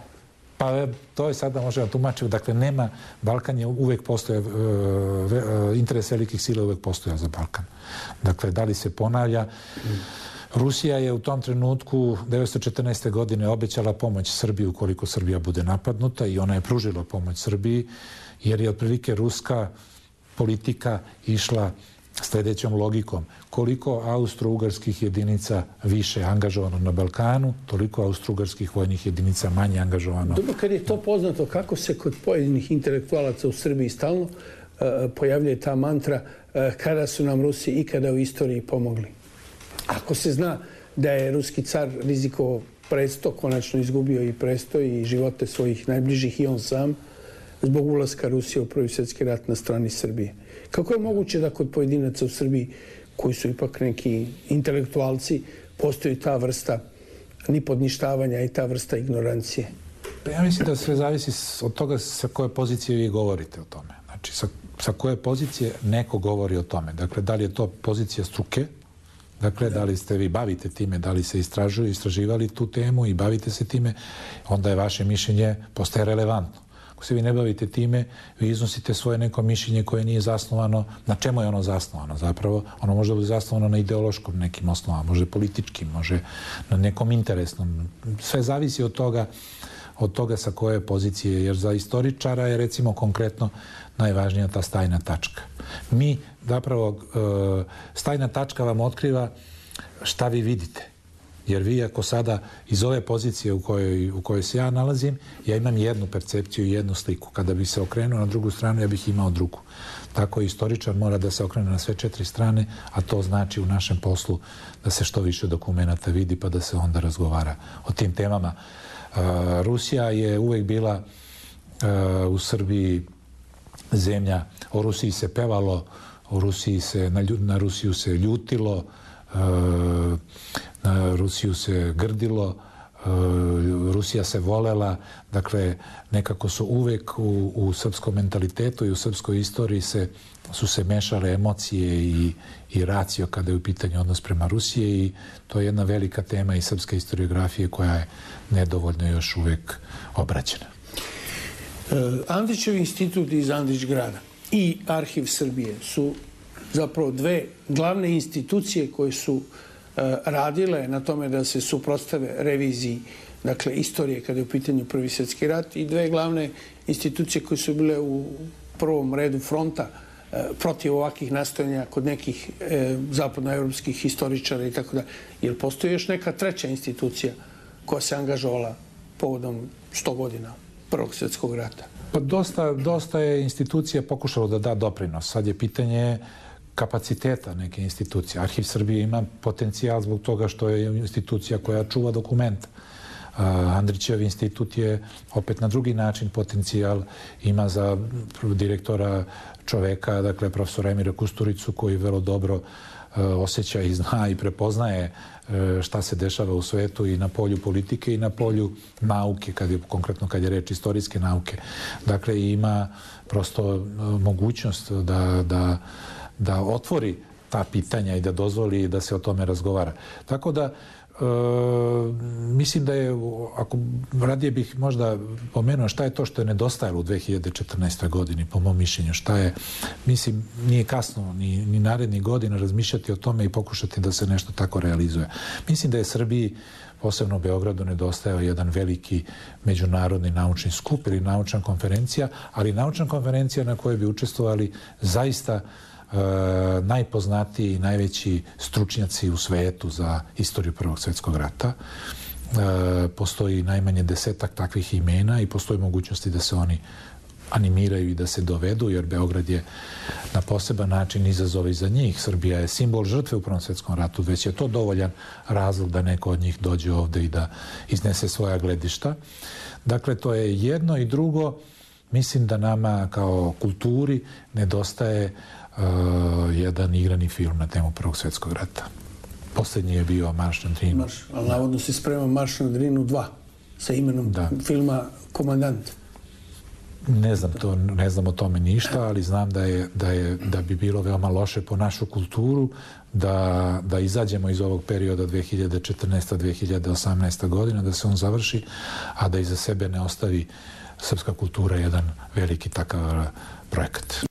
Pa to je sada možemo tumačiti. Dakle, nema, Balkan je uvek postoje, interes velikih sila uvek postoja za Balkan. Dakle, da li se ponavlja? Rusija je u tom trenutku devetsto četrnaeste. godine obećala pomoć Srbiji ukoliko Srbija bude napadnuta i ona je pružila pomoć Srbiji jer je otprilike ruska politika išla sljedećom logikom. Koliko austro-ugarskih jedinica više angažovano na Balkanu, toliko austro-ugarskih vojnih jedinica manje angažovano. Dobro, kad je to poznato, kako se kod pojedinih intelektualaca u Srbiji stalno uh, pojavljuje ta mantra uh, kada su nam Rusi ikada u istoriji pomogli. Ako se zna da je ruski car rizikovao presto, konačno izgubio i presto i živote svojih najbližih i on sam, zbog ulaska Rusije u Prvi svjetski rat na strani Srbije. Kako je moguće da kod pojedinaca u Srbiji, koji su ipak neki intelektualci, postoji ta vrsta nipodništavanja i ta vrsta ignorancije? Pa ja mislim da sve zavisi od toga sa koje pozicije vi govorite o tome. Znači, sa, sa koje pozicije neko govori o tome. Dakle, da li je to pozicija struke, dakle, da li ste vi bavite time, da li se istražuju, istraživali tu temu i bavite se time, onda je vaše mišljenje postaje relevantno. Ako se vi ne bavite time, vi iznosite svoje neko mišljenje koje nije zasnovano. Na čemu je ono zasnovano zapravo? Ono može biti zasnovano na ideološkom nekim osnovama, može političkim, može na nekom interesnom. Sve zavisi od toga, od toga sa koje pozicije, jer za istoričara je recimo konkretno najvažnija ta stajna tačka. Mi zapravo, stajna tačka vam otkriva šta vi vidite. Jer vi ako sada iz ove pozicije u kojoj, u kojoj se ja nalazim, ja imam jednu percepciju i jednu sliku. Kada bi se okrenuo na drugu stranu, ja bih imao drugu. Tako istoričar mora da se okrene na sve četiri strane, a to znači u našem poslu da se što više dokumenata vidi pa da se onda razgovara o tim temama. Uh, Rusija je uvek bila uh, u Srbiji zemlja, o Rusiji se pevalo, o Rusiji se, na, na Rusiju se ljutilo, uh, na Rusiju se grdilo, Rusija se volela, dakle nekako su uvek u, u srpskom mentalitetu i u srpskoj istoriji se, su se mešale emocije i, i racio kada je u pitanju odnos prema Rusije i to je jedna velika tema i srpske historiografije koja je nedovoljno još uvek obrađena. Andrićev institut iz Andrićgrada i Arhiv Srbije su zapravo dve glavne institucije koje su radile na tome da se suprotstave reviziji, dakle, istorije kada je u pitanju Prvi svjetski rat i dve glavne institucije koje su bile u prvom redu fronta protiv ovakvih nastojanja kod nekih e, zapadnoevropskih historičara i tako da. Jel postoji još neka treća institucija koja se angažovala povodom sto godina Prvog svjetskog rata? Pa dosta, dosta je institucija pokušalo da da doprinos. Sad je pitanje kapaciteta neke institucije. Arhiv Srbije ima potencijal zbog toga što je institucija koja čuva dokument. Andrićev institut je opet na drugi način potencijal. Ima za direktora čoveka, dakle profesora Emira Kusturicu, koji vrlo dobro osjeća i zna i prepoznaje šta se dešava u svetu i na polju politike i na polju nauke, kad je, konkretno kad je reč istorijske nauke. Dakle, ima prosto mogućnost da, da da otvori ta pitanja i da dozvoli da se o tome razgovara. Tako da, e, mislim da je, ako radije bih možda pomenuo šta je to što je nedostajalo u dve hiljade četrnaestoj godini, po mom mišljenju, šta je, mislim, nije kasno ni, ni narednih godina razmišljati o tome i pokušati da se nešto tako realizuje. Mislim da je Srbiji, posebno u Beogradu, nedostajao jedan veliki međunarodni naučni skup ili naučna konferencija, ali naučna konferencija na kojoj bi učestvovali zaista Uh, najpoznatiji i najveći stručnjaci u svetu za istoriju Prvog svjetskog rata. Uh, postoji najmanje desetak takvih imena i postoji mogućnosti da se oni animiraju i da se dovedu, jer Beograd je na poseban način izazov i za njih. Srbija je simbol žrtve u Prvom svjetskom ratu, već je to dovoljan razlog da neko od njih dođe ovde i da iznese svoja gledišta. Dakle, to je jedno i drugo. Mislim da nama kao kulturi nedostaje Uh, jedan igrani film na temu Prvog svjetskog rata. Posljednji je bio Marš na Drinu. Marš, ali navodno se sprema Marš na Drinu dva sa imenom da. filma Komandant. Ne znam, to, ne znam o tome ništa, ali znam da, je, da, je, da bi bilo veoma loše po našu kulturu da, da izađemo iz ovog perioda dve hiljade četrnaesta do dve hiljade osamnaesta godina, da se on završi, a da iza sebe ne ostavi srpska kultura jedan veliki takav projekat.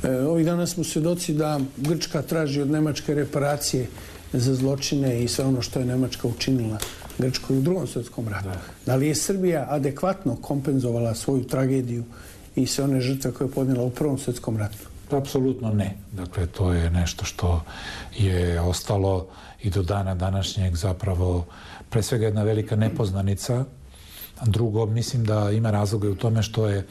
E, ovih dana smo svjedoci da Grčka traži od Nemačke reparacije za zločine i sve ono što je Nemačka učinila Grčkoj u Drugom svjetskom ratu. Da. Da li je Srbija adekvatno kompenzovala svoju tragediju i sve one žrtve koje je podnijela u Prvom svjetskom ratu? Apsolutno ne. Dakle, to je nešto što je ostalo i do dana današnjeg zapravo pre svega jedna velika nepoznanica. Drugo, mislim da ima razloga u tome što je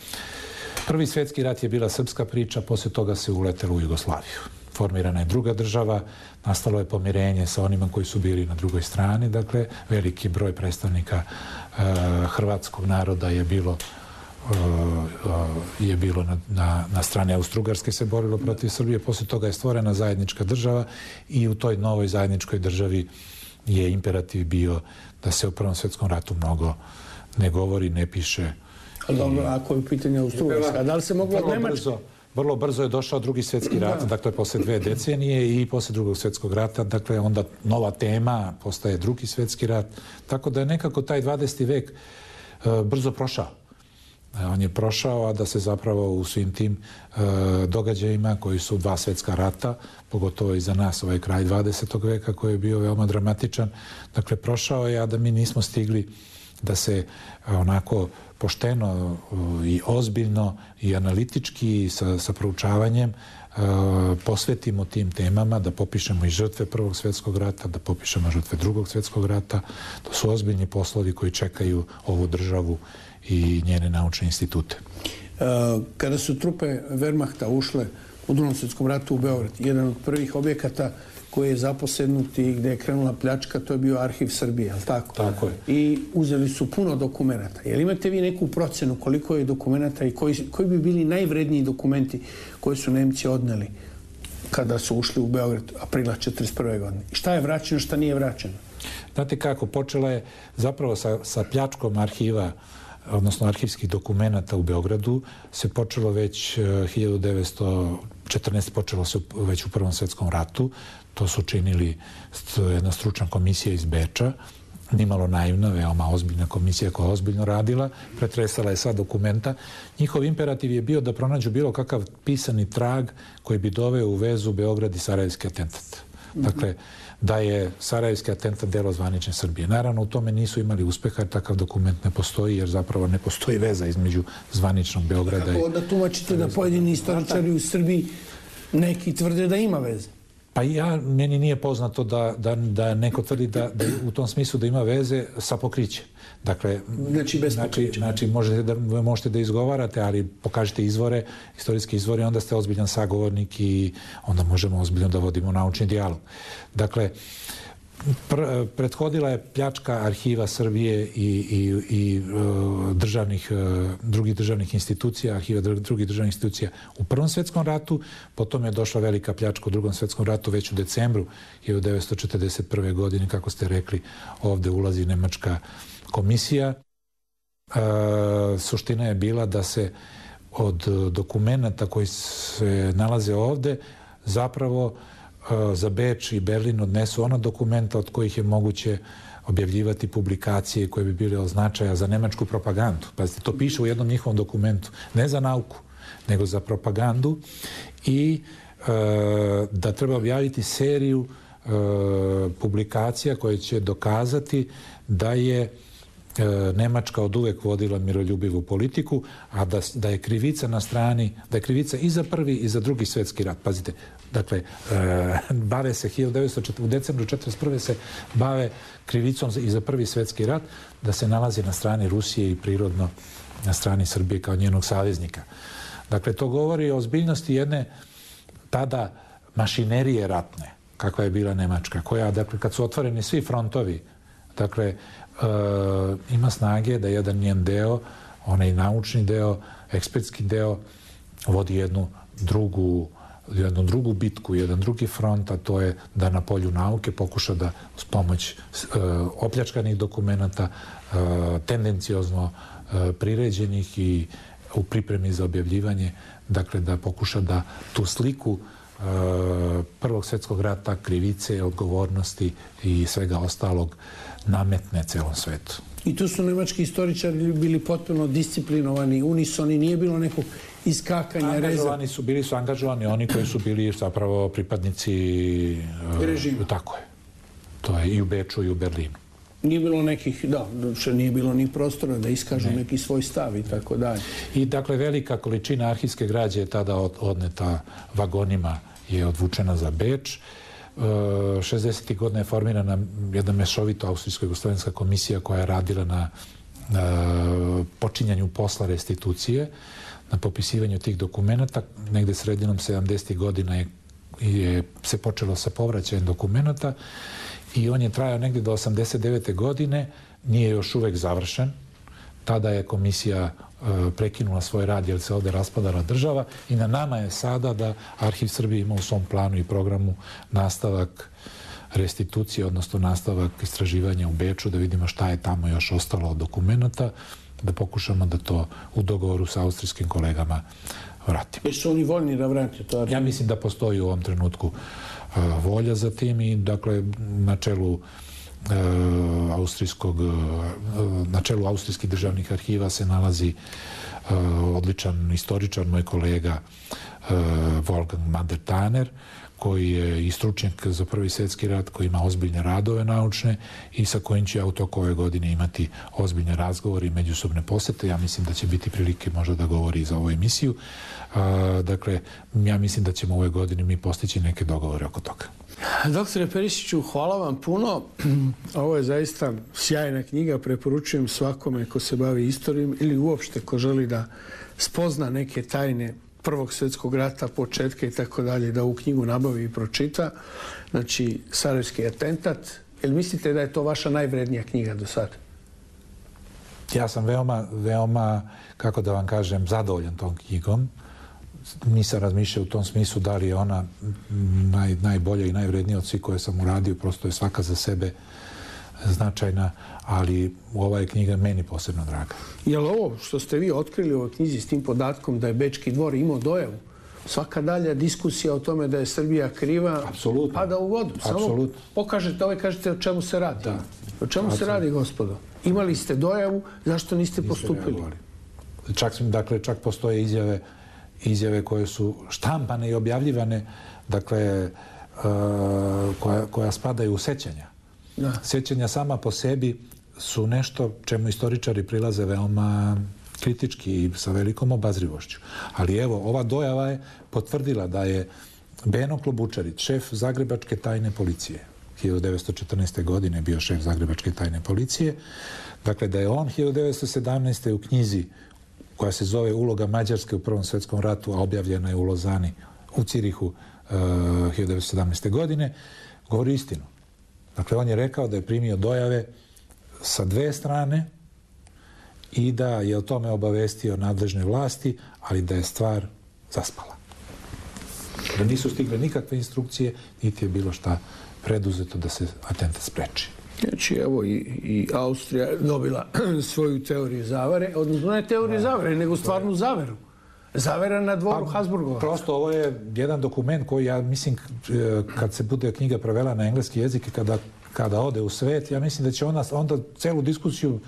Prvi svjetski rat je bila srpska priča, poslije toga se uletelo u Jugoslaviju. Formirana je druga država, nastalo je pomirenje sa onima koji su bili na drugoj strani, dakle veliki broj predstavnika uh, hrvatskog naroda je bilo uh, uh, je bilo na, na, na strani Austro-Ugarske, se borilo protiv Srbije, poslije toga je stvorena zajednička država i u toj novoj zajedničkoj državi je imperativ bio da se u Prvom svjetskom ratu mnogo ne govori, ne piše. Ali dobro, ako je u pitanju Austro-Ugarska, da li se moglo od Nemačke? Vrlo brzo je došao drugi svjetski rat, dakle posle dve decenije i posle drugog svjetskog rata, dakle onda nova tema postaje drugi svjetski rat, tako da je nekako taj dvadeseti vek uh, brzo prošao. On je prošao, a da se zapravo u svim tim uh, događajima koji su dva svjetska rata, pogotovo i za nas ovaj kraj dvadesetog veka koji je bio veoma dramatičan, dakle prošao je, a da mi nismo stigli da se uh, onako pošteno i ozbiljno i analitički sa, sa proučavanjem uh, posvetimo tim temama, da popišemo i žrtve Prvog svjetskog rata, da popišemo žrtve Drugog svjetskog rata. To su ozbiljni poslovi koji čekaju ovu državu i njene naučne institute. Uh, kada su trupe Wehrmachta ušle u Drugom svjetskom ratu u Beograd, jedan od prvih objekata koji je zaposednut i gdje je krenula pljačka, to je bio Arhiv Srbije, je li tako? Tako je. I uzeli su puno dokumenta. Jel imate vi neku procenu koliko je dokumenta i koji, koji bi bili najvredniji dokumenti koje su Nemci odneli kada su ušli u Beograd aprila četrdeset prve godine? I šta je vraćeno, šta nije vraćeno? Znate kako, počela je zapravo sa, sa pljačkom arhiva, odnosno arhivskih dokumenata u Beogradu, se počelo već hiljadu devetsto četrnaeste. počelo se već u Prvom svjetskom ratu. To su činili jedna stručna komisija iz Beča, nimalo naivna, veoma ozbiljna komisija koja je ozbiljno radila, pretresala je sva dokumenta. Njihov imperativ je bio da pronađu bilo kakav pisani trag koji bi doveo u vezu Beograd i Sarajevski atentat. Dakle, da je Sarajevski atentat delo zvanične Srbije. Naravno, u tome nisu imali uspeha, jer takav dokument ne postoji, jer zapravo ne postoji veza između zvaničnog Beograda i... Kako da tumačite da pojedini istoričari u Srbiji neki tvrde da ima veze? Pa ja, meni nije poznato da, da, da neko tvrdi da, da u tom smislu da ima veze sa pokrićem. Dakle, znači, bez znači, znači možete, da, možete da izgovarate, ali pokažite izvore, istorijski izvore, onda ste ozbiljan sagovornik i onda možemo ozbiljno da vodimo naučni dijalog. Dakle, pr, prethodila je pljačka arhiva Srbije i, i, i uh, državnih, uh, drugih državnih institucija, arhiva drugih državnih institucija u Prvom svjetskom ratu, potom je došla velika pljačka u Drugom svjetskom ratu već u decembru hiljadu devetsto četrdeset prve. godine, kako ste rekli, ovde ulazi nemačka komisija. E, suština je bila da se od dokumenta koji se nalaze ovde zapravo e, za Beč i Berlin odnesu ona dokumenta od kojih je moguće objavljivati publikacije koje bi bile od značaja za nemačku propagandu. Pazite, to piše u jednom njihovom dokumentu. Ne za nauku, nego za propagandu i e, da treba objaviti seriju e, publikacija koje će dokazati da je Nemačka od uvek vodila miroljubivu politiku, a da, da je krivica na strani, da je krivica i za prvi i za drugi svjetski rat. Pazite, dakle, e, bave se hiljadu devetsto u decembru četrdeset prve. se bave krivicom i za prvi svjetski rat, da se nalazi na strani Rusije i prirodno na strani Srbije kao njenog saveznika. Dakle, to govori o ozbiljnosti jedne tada mašinerije ratne, kakva je bila Nemačka, koja, dakle, kad su otvoreni svi frontovi, dakle, Uh, ima snage da jedan njen deo, onaj naučni deo, ekspertski deo, vodi jednu drugu, jednu drugu bitku, jedan drugi front, a to je da na polju nauke pokuša da s pomoć uh, opljačkanih dokumenta, uh, tendenciozno uh, priređenih i u pripremi za objavljivanje, dakle da pokuša da tu sliku uh, Prvog svjetskog rata, krivice, odgovornosti i svega ostalog nametne celom svetu. I tu su nemački istoričari bili potpuno disciplinovani, unisoni, nije bilo nekog iskakanja, reza. Angažovani su, bili su angažovani oni koji su bili zapravo pripadnici režima. Tako je. To je i u Beču i u Berlinu. Nije bilo nekih, da, što nije bilo ni prostora da iskažu ne. neki svoj stav i tako dalje. I dakle, velika količina arhivske građe je tada odneta vagonima, je odvučena za Beč. šezdesetih godina je formirana jedna mešovito austrijsko-jugoslovenska komisija koja je radila na, na počinjanju posla restitucije, na popisivanju tih dokumenta. Negde sredinom sedamdesetih godina je, je se počelo sa povraćajem dokumenta i on je trajao negde do osamdeset devete godine, nije još uvek završen. Tada je komisija e, prekinula svoj rad jer se ovde raspadala država i na nama je sada da Arhiv Srbije ima u svom planu i programu nastavak restitucije, odnosno nastavak istraživanja u Beču, da vidimo šta je tamo još ostalo od dokumenta, da pokušamo da to u dogovoru sa austrijskim kolegama vratimo. Jesu oni voljni da vrate to? Ja mislim da postoji u ovom trenutku uh, volja za tim i dakle na čelu uh, austrijskog, uh, na čelu austrijskih državnih arhiva se nalazi uh, odličan istoričar, moj kolega uh, Wolfgang Mader-Taner, koji je i stručnjak za Prvi svjetski rat, koji ima ozbiljne radove naučne i sa kojim će ja u toku ove godine imati ozbiljne razgovore i međusobne posete. Ja mislim da će biti prilike možda da govori za ovu emisiju. A, dakle, ja mislim da ćemo ove godine mi postići neke dogovore oko toga. Doktore Perišiću, hvala vam puno. Ovo je zaista sjajna knjiga. Preporučujem svakome ko se bavi istorijom ili uopšte ko želi da spozna neke tajne Prvog svjetskog rata, početka i tako dalje, da ovu knjigu nabavi i pročita. Znači, Sarajevski atentat. Jel mislite da je to vaša najvrednija knjiga do sada? Ja sam veoma, veoma, kako da vam kažem, zadovoljan tom knjigom. Nisam razmišljao u tom smislu da li je ona naj, najbolja i najvrednija od svih koje sam uradio. Prosto je svaka za sebe značajna, ali ova je knjiga meni posebno draga. Je li ovo što ste vi otkrili u ovoj knjizi s tim podatkom da je Bečki dvor imao dojavu, svaka dalja diskusija o tome da je Srbija kriva Apsolutno. pada u vodu? Samo Apsolutno. pokažete ovo i kažete o čemu se radi. Da. O čemu Apsolutno. se radi, gospodo? Imali ste dojavu, zašto niste postupili? Čak, dakle, čak postoje izjave, izjave koje su štampane i objavljivane, dakle, uh, koja, koja spadaju u sećanja. Da. Sjećanja sama po sebi su nešto čemu istoričari prilaze veoma kritički i sa velikom obazrivošću. Ali evo, ova dojava je potvrdila da je Beno Klobučarić, šef Zagrebačke tajne policije, hiljadu devetsto četrnaeste. godine bio šef Zagrebačke tajne policije, dakle da je on hiljadu devetsto sedamnaeste. u knjizi koja se zove Uloga Mađarske u Prvom svjetskom ratu, a objavljena je u Lozani, u Cirihu uh, hiljadu devetsto sedamnaeste. godine, govori istinu. Dakle, on je rekao da je primio dojave sa dve strane i da je o tome obavestio nadležne vlasti, ali da je stvar zaspala. Da nisu stigle nikakve instrukcije, niti je bilo šta preduzeto da se atentat spreči. Znači, evo i, i Austrija dobila svoju teoriju zavere, odnosno ne teoriju zavere, nego stvarnu zaveru. Zavera na dvoru pa, Habsburgova. Prosto ovo je jedan dokument koji ja mislim kad se bude knjiga prevela na engleski jezik i kada, kada ode u svet, ja mislim da će ona onda celu diskusiju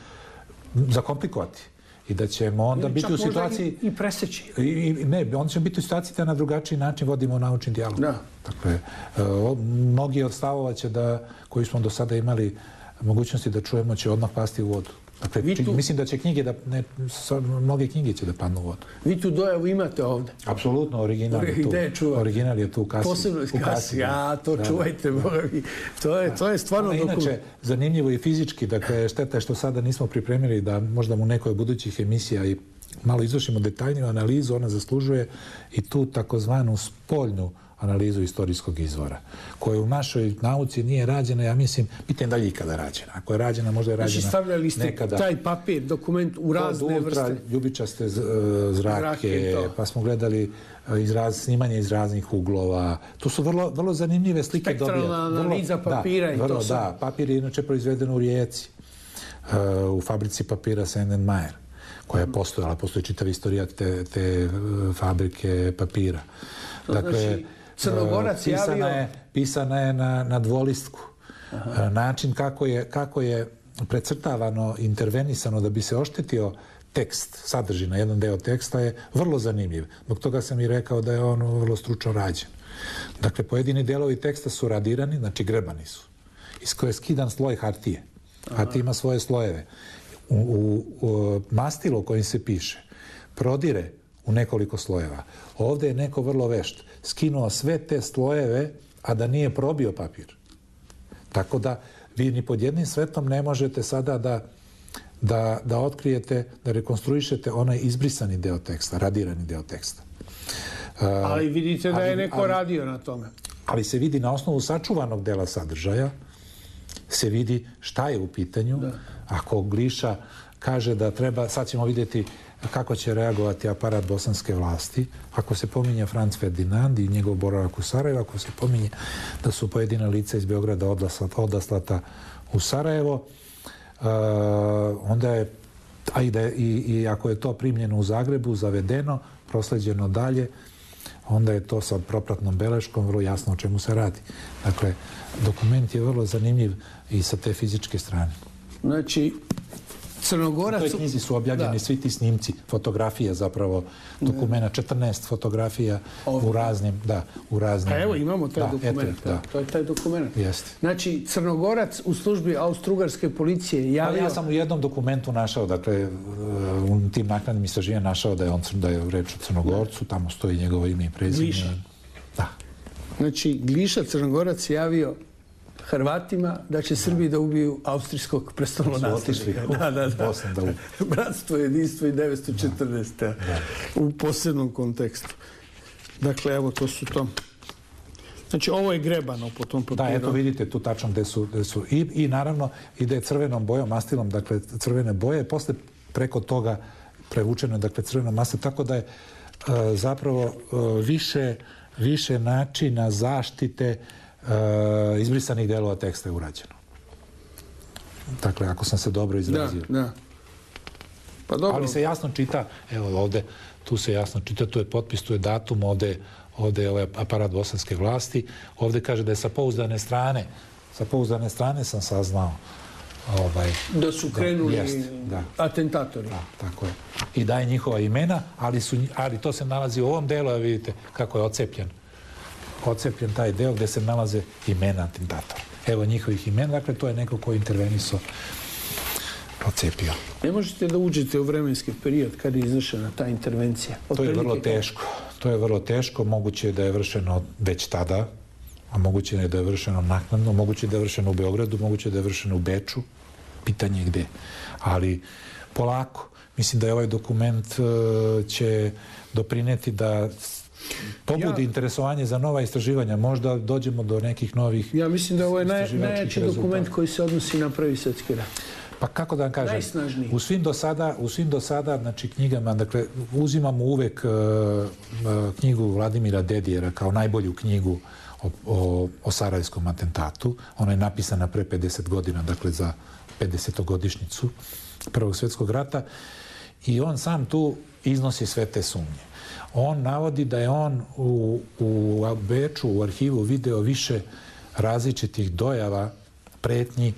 zakomplikovati i da ćemo onda ili biti u situaciji... I, i preseći. I, i, ne, onda ćemo biti u situaciji da na drugačiji način vodimo naučni dijalog. Da. Dakle, o, mnogi od stavova će da, koji smo do sada imali mogućnosti da čujemo, će odmah pasti u vodu. Dakle, tu, mislim da će knjige, da ne, mnoge knjige će da padnu u vodu. Vi tu dojavu imate ovde? Apsolutno, original je tu. Gde je čuvati? Original je tu u kasi. Posebno u kasi, ja, to da, čuvajte, da. To je, to je stvarno dokument. Inače, zanimljivo i fizički, dakle, šteta je što sada nismo pripremili da možda mu nekoj budućih emisija i malo izvršimo detaljniju analizu, ona zaslužuje i tu takozvanu spoljnu analizu istorijskog izvora, koja u našoj nauci nije rađena, ja mislim, pitanje da li je ikada rađena. Ako je rađena, možda je rađena znači, stavljali ste nekada. Taj papir, dokument u razne vrste. Ultra ljubičaste zrake, zrake pa smo gledali izraz, snimanje iz raznih uglova. To su vrlo, vrlo zanimljive slike dobije. Spektralna analiza papira da, i vrlo, to sam. Da, papir je inače proizveden u Rijeci, u fabrici papira Sand and Meyer, koja je postojala, postoji čitav istorija te, te fabrike papira. Dakle, znači, Crnogorac pisana javio... je, pisana je na, na dvolistku. Aha. Način kako je, kako je precrtavano, intervenisano da bi se oštetio tekst, sadržina, jedan deo teksta je vrlo zanimljiv. Zbog toga sam i rekao da je on vrlo stručno rađen. Dakle, pojedini delovi teksta su radirani, znači grebani su, iz koje je skidan sloj hartije. A ti ima svoje slojeve. U, u, u mastilo kojim se piše prodire u nekoliko slojeva. Ovdje je neko vrlo vešt skinuo sve te slojeve, a da nije probio papir. Tako da vi ni pod jednim svetom ne možete sada da, da, da otkrijete, da rekonstruišete onaj izbrisani deo teksta, radirani deo teksta. Ali vidite da ali, je neko ali, radio na tome. Ali se vidi na osnovu sačuvanog dela sadržaja, se vidi šta je u pitanju. Da. Ako Gliša kaže da treba, sad ćemo vidjeti kako će reagovati aparat bosanske vlasti, ako se pominje Franc Ferdinand i njegov boravak u Sarajevu, ako se pominje da su pojedina lica iz Beograda odaslata u Sarajevo, uh, onda je, a i, da je, i, i ako je to primljeno u Zagrebu, zavedeno, prosleđeno dalje, onda je to sa propratnom beleškom vrlo jasno o čemu se radi. Dakle, dokument je vrlo zanimljiv i sa te fizičke strane. Znači, Crnogorac... U toj knjizi su objavljeni da. svi ti snimci, fotografija zapravo, dokumenta, četrnaest fotografija Ovdje. u raznim, da, u raznim... A evo imamo taj da, dokument, eto, da. to je taj dokument. Jeste. Znači, Crnogorac u službi Austro-Ugarske policije javio... Pa ja sam u jednom dokumentu našao, dakle, u tim naknadnim istraživanjima našao da je, on, da je reč o Crnogorcu, tamo stoji njegovo ime i prezime. Gliša. Da. Znači, Gliša Crnogorac javio Hrvatima da će Srbiji da ubiju austrijskog prestolonaslednika. Da, da, da. da Bratstvo, jedinstvo i devetsto četrnaeste. Da, da. U posebnom kontekstu. Dakle, evo, to su to. Znači, ovo je grebano po tom papiru. Da, eto vidite tu tačno gde su. Gde su. I, I naravno ide crvenom bojom, mastilom, dakle, crvene boje, posle preko toga prevučeno, dakle, crvenom mastilom, tako da je uh, zapravo uh, više, više načina zaštite Uh, izbrisanih delova teksta je urađeno. Dakle, ako sam se dobro izrazio. Da, da. Pa dobro. Ali se jasno čita, evo ovde, tu se jasno čita, tu je potpis, tu je datum, ovde, ovde je ovaj aparat bosanske vlasti, ovde kaže da je sa pouzdane strane, sa pouzdane strane sam saznao ovaj, da su krenuli da, jest, da. atentatori. Da, tako je. I daje njihova imena, ali, su, ali to se nalazi u ovom delu, a vidite kako je ocepljen. Ocepljen taj deo gde se nalaze imena atentatora. Evo njihovih imena, dakle to je neko ko je interveniso, ocepio. Ne možete da uđete u vremenski period kada je izvršena ta intervencija? Od to je vrlo teško. To je vrlo teško. Moguće je da je vršeno već tada, a moguće je da je vršeno naknadno, moguće je da je vršeno u Beogradu, moguće je da je vršeno u Beču. Pitanje je gde. Ali polako. Mislim da je ovaj dokument uh, će doprineti da pobudi ja, interesovanje za nova istraživanja. Možda dođemo do nekih novih ja mislim da ovo je naj, najjači dokument koji se odnosi na Prvi svjetski rat. Pa kako da vam kažem? Najsnažniji. U svim do sada, u svim do sada, znači knjigama, dakle, uzimamo uvek uh, uh, knjigu Vladimira Dedijera kao najbolju knjigu o, o, o sarajevskom atentatu. Ona je napisana pre pedeset godina, dakle za pedesetogodišnjicu Prvog svjetskog rata. I on sam tu iznosi sve te sumnje. On navodi da je on u, u Beču, u arhivu video više različitih dojava, pretnji,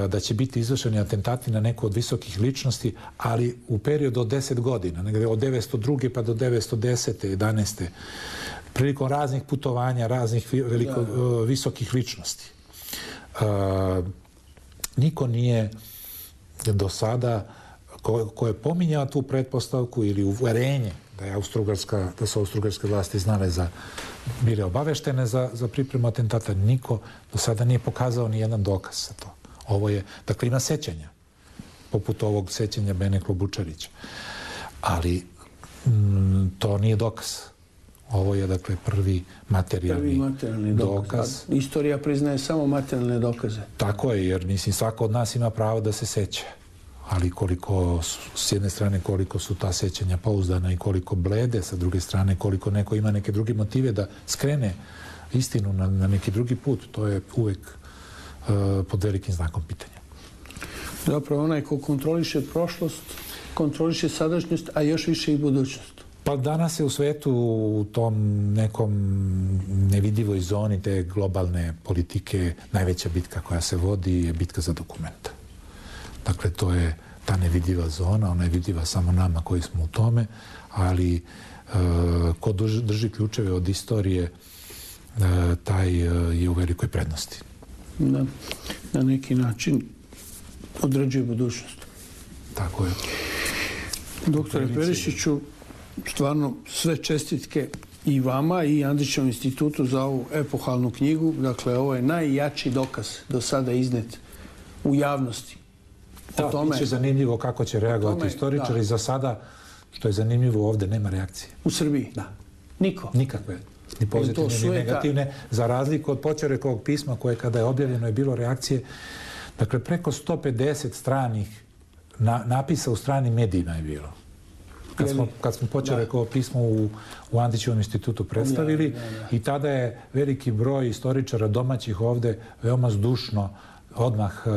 da će biti izvršeni atentati na neku od visokih ličnosti, ali u periodu od deset godina, negde od devetsto druge pa do devetsto desete, jedanaeste prilikom raznih putovanja, raznih veliko, da. visokih ličnosti. Uh, niko nije do sada ko, ko je pominjao tu pretpostavku ili uverenje da je Austro-Ugarska, da su Austro-Ugarske vlasti znale za, bile obaveštene za, za pripremu atentata, niko do sada nije pokazao ni jedan dokaz za to. Ovo je, dakle, ima sećanja, poput ovog sećanja Bene Klobučarića. Ali m, to nije dokaz. Ovo je, dakle, prvi materijalni, prvi materijalni dokaz. dokaz. Istorija priznaje samo materijalne dokaze. Tako je, jer, mislim, svako od nas ima pravo da se seća. Ali koliko, s jedne strane, koliko su ta sećanja pouzdana i koliko blede, sa druge strane, koliko neko ima neke druge motive da skrene istinu na, na neki drugi put, to je uvek uh, pod velikim znakom pitanja. Zapravo, onaj ko kontroliše prošlost, kontroliše sadašnjost, a još više i budućnost. Pa danas je u svetu u tom nekom nevidivoj zoni te globalne politike najveća bitka koja se vodi je bitka za dokumenta. Dakle, to je ta nevidljiva zona, ona je vidljiva samo nama koji smo u tome, ali e, ko drži, drži ključeve od istorije, e, taj e, je u velikoj prednosti. Da, na neki način određuje budućnost. Tako je. Doktore Perišiću, stvarno sve čestitke i vama i Andrićevom institutu za ovu epohalnu knjigu. Dakle, ovo je najjači dokaz do sada iznet u javnosti. Da, bit će zanimljivo kako će reagovati istoričari. Za sada, što je zanimljivo, ovdje nema reakcije. U Srbiji? Da. Niko? Nikakve. Ni pozitivne, ni negativne. Za razliku od Počerekovog pisma koje kada je objavljeno je bilo reakcije. Dakle, preko sto pedeset stranih napisa u stranim medijima je bilo. Kad smo, kad smo Počerekovo pismo u, u Andrićevom institutu predstavili ja, ja, ja. I tada je veliki broj istoričara domaćih ovdje veoma zdušno odmah uh,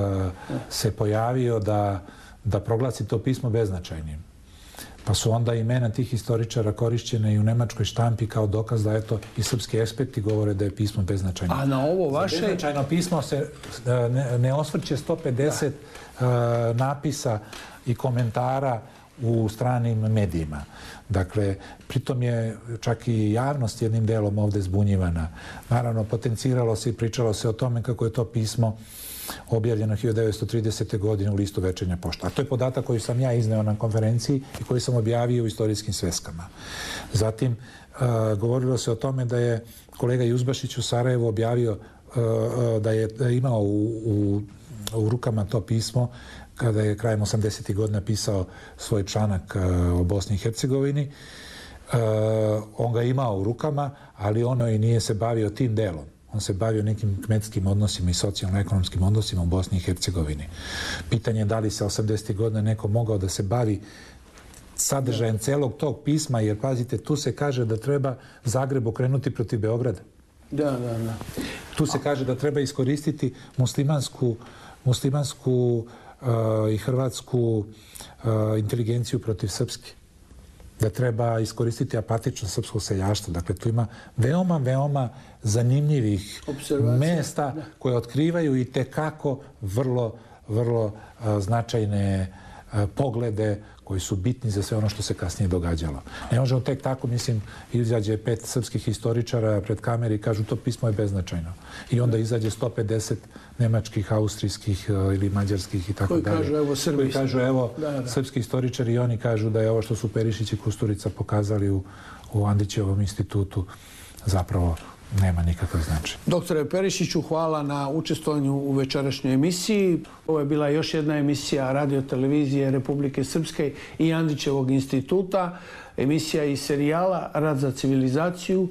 se pojavio da, da proglasi to pismo beznačajnim. Pa su onda imena tih istoričara korišćene i u nemačkoj štampi kao dokaz da eto i srpski eksperti govore da je pismo beznačajno. A na ovo vaše... Za beznačajno pismo se ne, ne osvrće sto pedeset uh, napisa i komentara u stranim medijima. Dakle, pritom je čak i javnost jednim delom ovdje zbunjivana. Naravno, potenciralo se i pričalo se o tome kako je to pismo objavljeno hiljadu devetsto tridesete. godine u listu Večernja pošta. A to je podatak koji sam ja izneo na konferenciji i koji sam objavio u istorijskim sveskama. Zatim, uh, govorilo se o tome da je kolega Juzbašić u Sarajevu objavio uh, da je imao u, u, u rukama to pismo kada je krajem osamdesetih godina pisao svoj članak uh, o Bosni i Hercegovini. Uh, on ga imao u rukama, ali ono i nije se bavio tim delom. On se bavio nekim kmetskim odnosima i socijalno-ekonomskim odnosima u Bosni i Hercegovini. Pitanje je da li se osamdesetih godina neko mogao da se bavi sadržajem celog tog pisma, jer pazite, tu se kaže da treba Zagreb okrenuti protiv Beograda. Da, da, da. Tu se kaže da treba iskoristiti muslimansku, muslimansku uh, i hrvatsku uh, inteligenciju protiv srpske. Da treba iskoristiti apatično srpsko seljaštvo. Dakle, tu ima veoma, veoma zanimljivih mesta da. koje otkrivaju i tekako vrlo, vrlo uh, značajne uh, poglede koji su bitni za sve ono što se kasnije događalo. Ne možemo tek tako, mislim, izađe pet srpskih historičara pred kameri i kažu to pismo je beznačajno. I onda izađe sto pedeset nemačkih, austrijskih ili mađarskih i tako dalje. Koji kažu, evo, Srbi. Koji kažu, evo, da, da. srpski istoričari i oni kažu da je ovo što su Perišić i Kusturica pokazali u, u Andrićevom institutu zapravo nema nikakav značaj. Doktore Perišiću, hvala na učestvovanju u večerašnjoj emisiji. Ovo je bila još jedna emisija Radio-televizije Republike Srpske i Andrićevog instituta. Emisija iz serijala Rad za civilizaciju,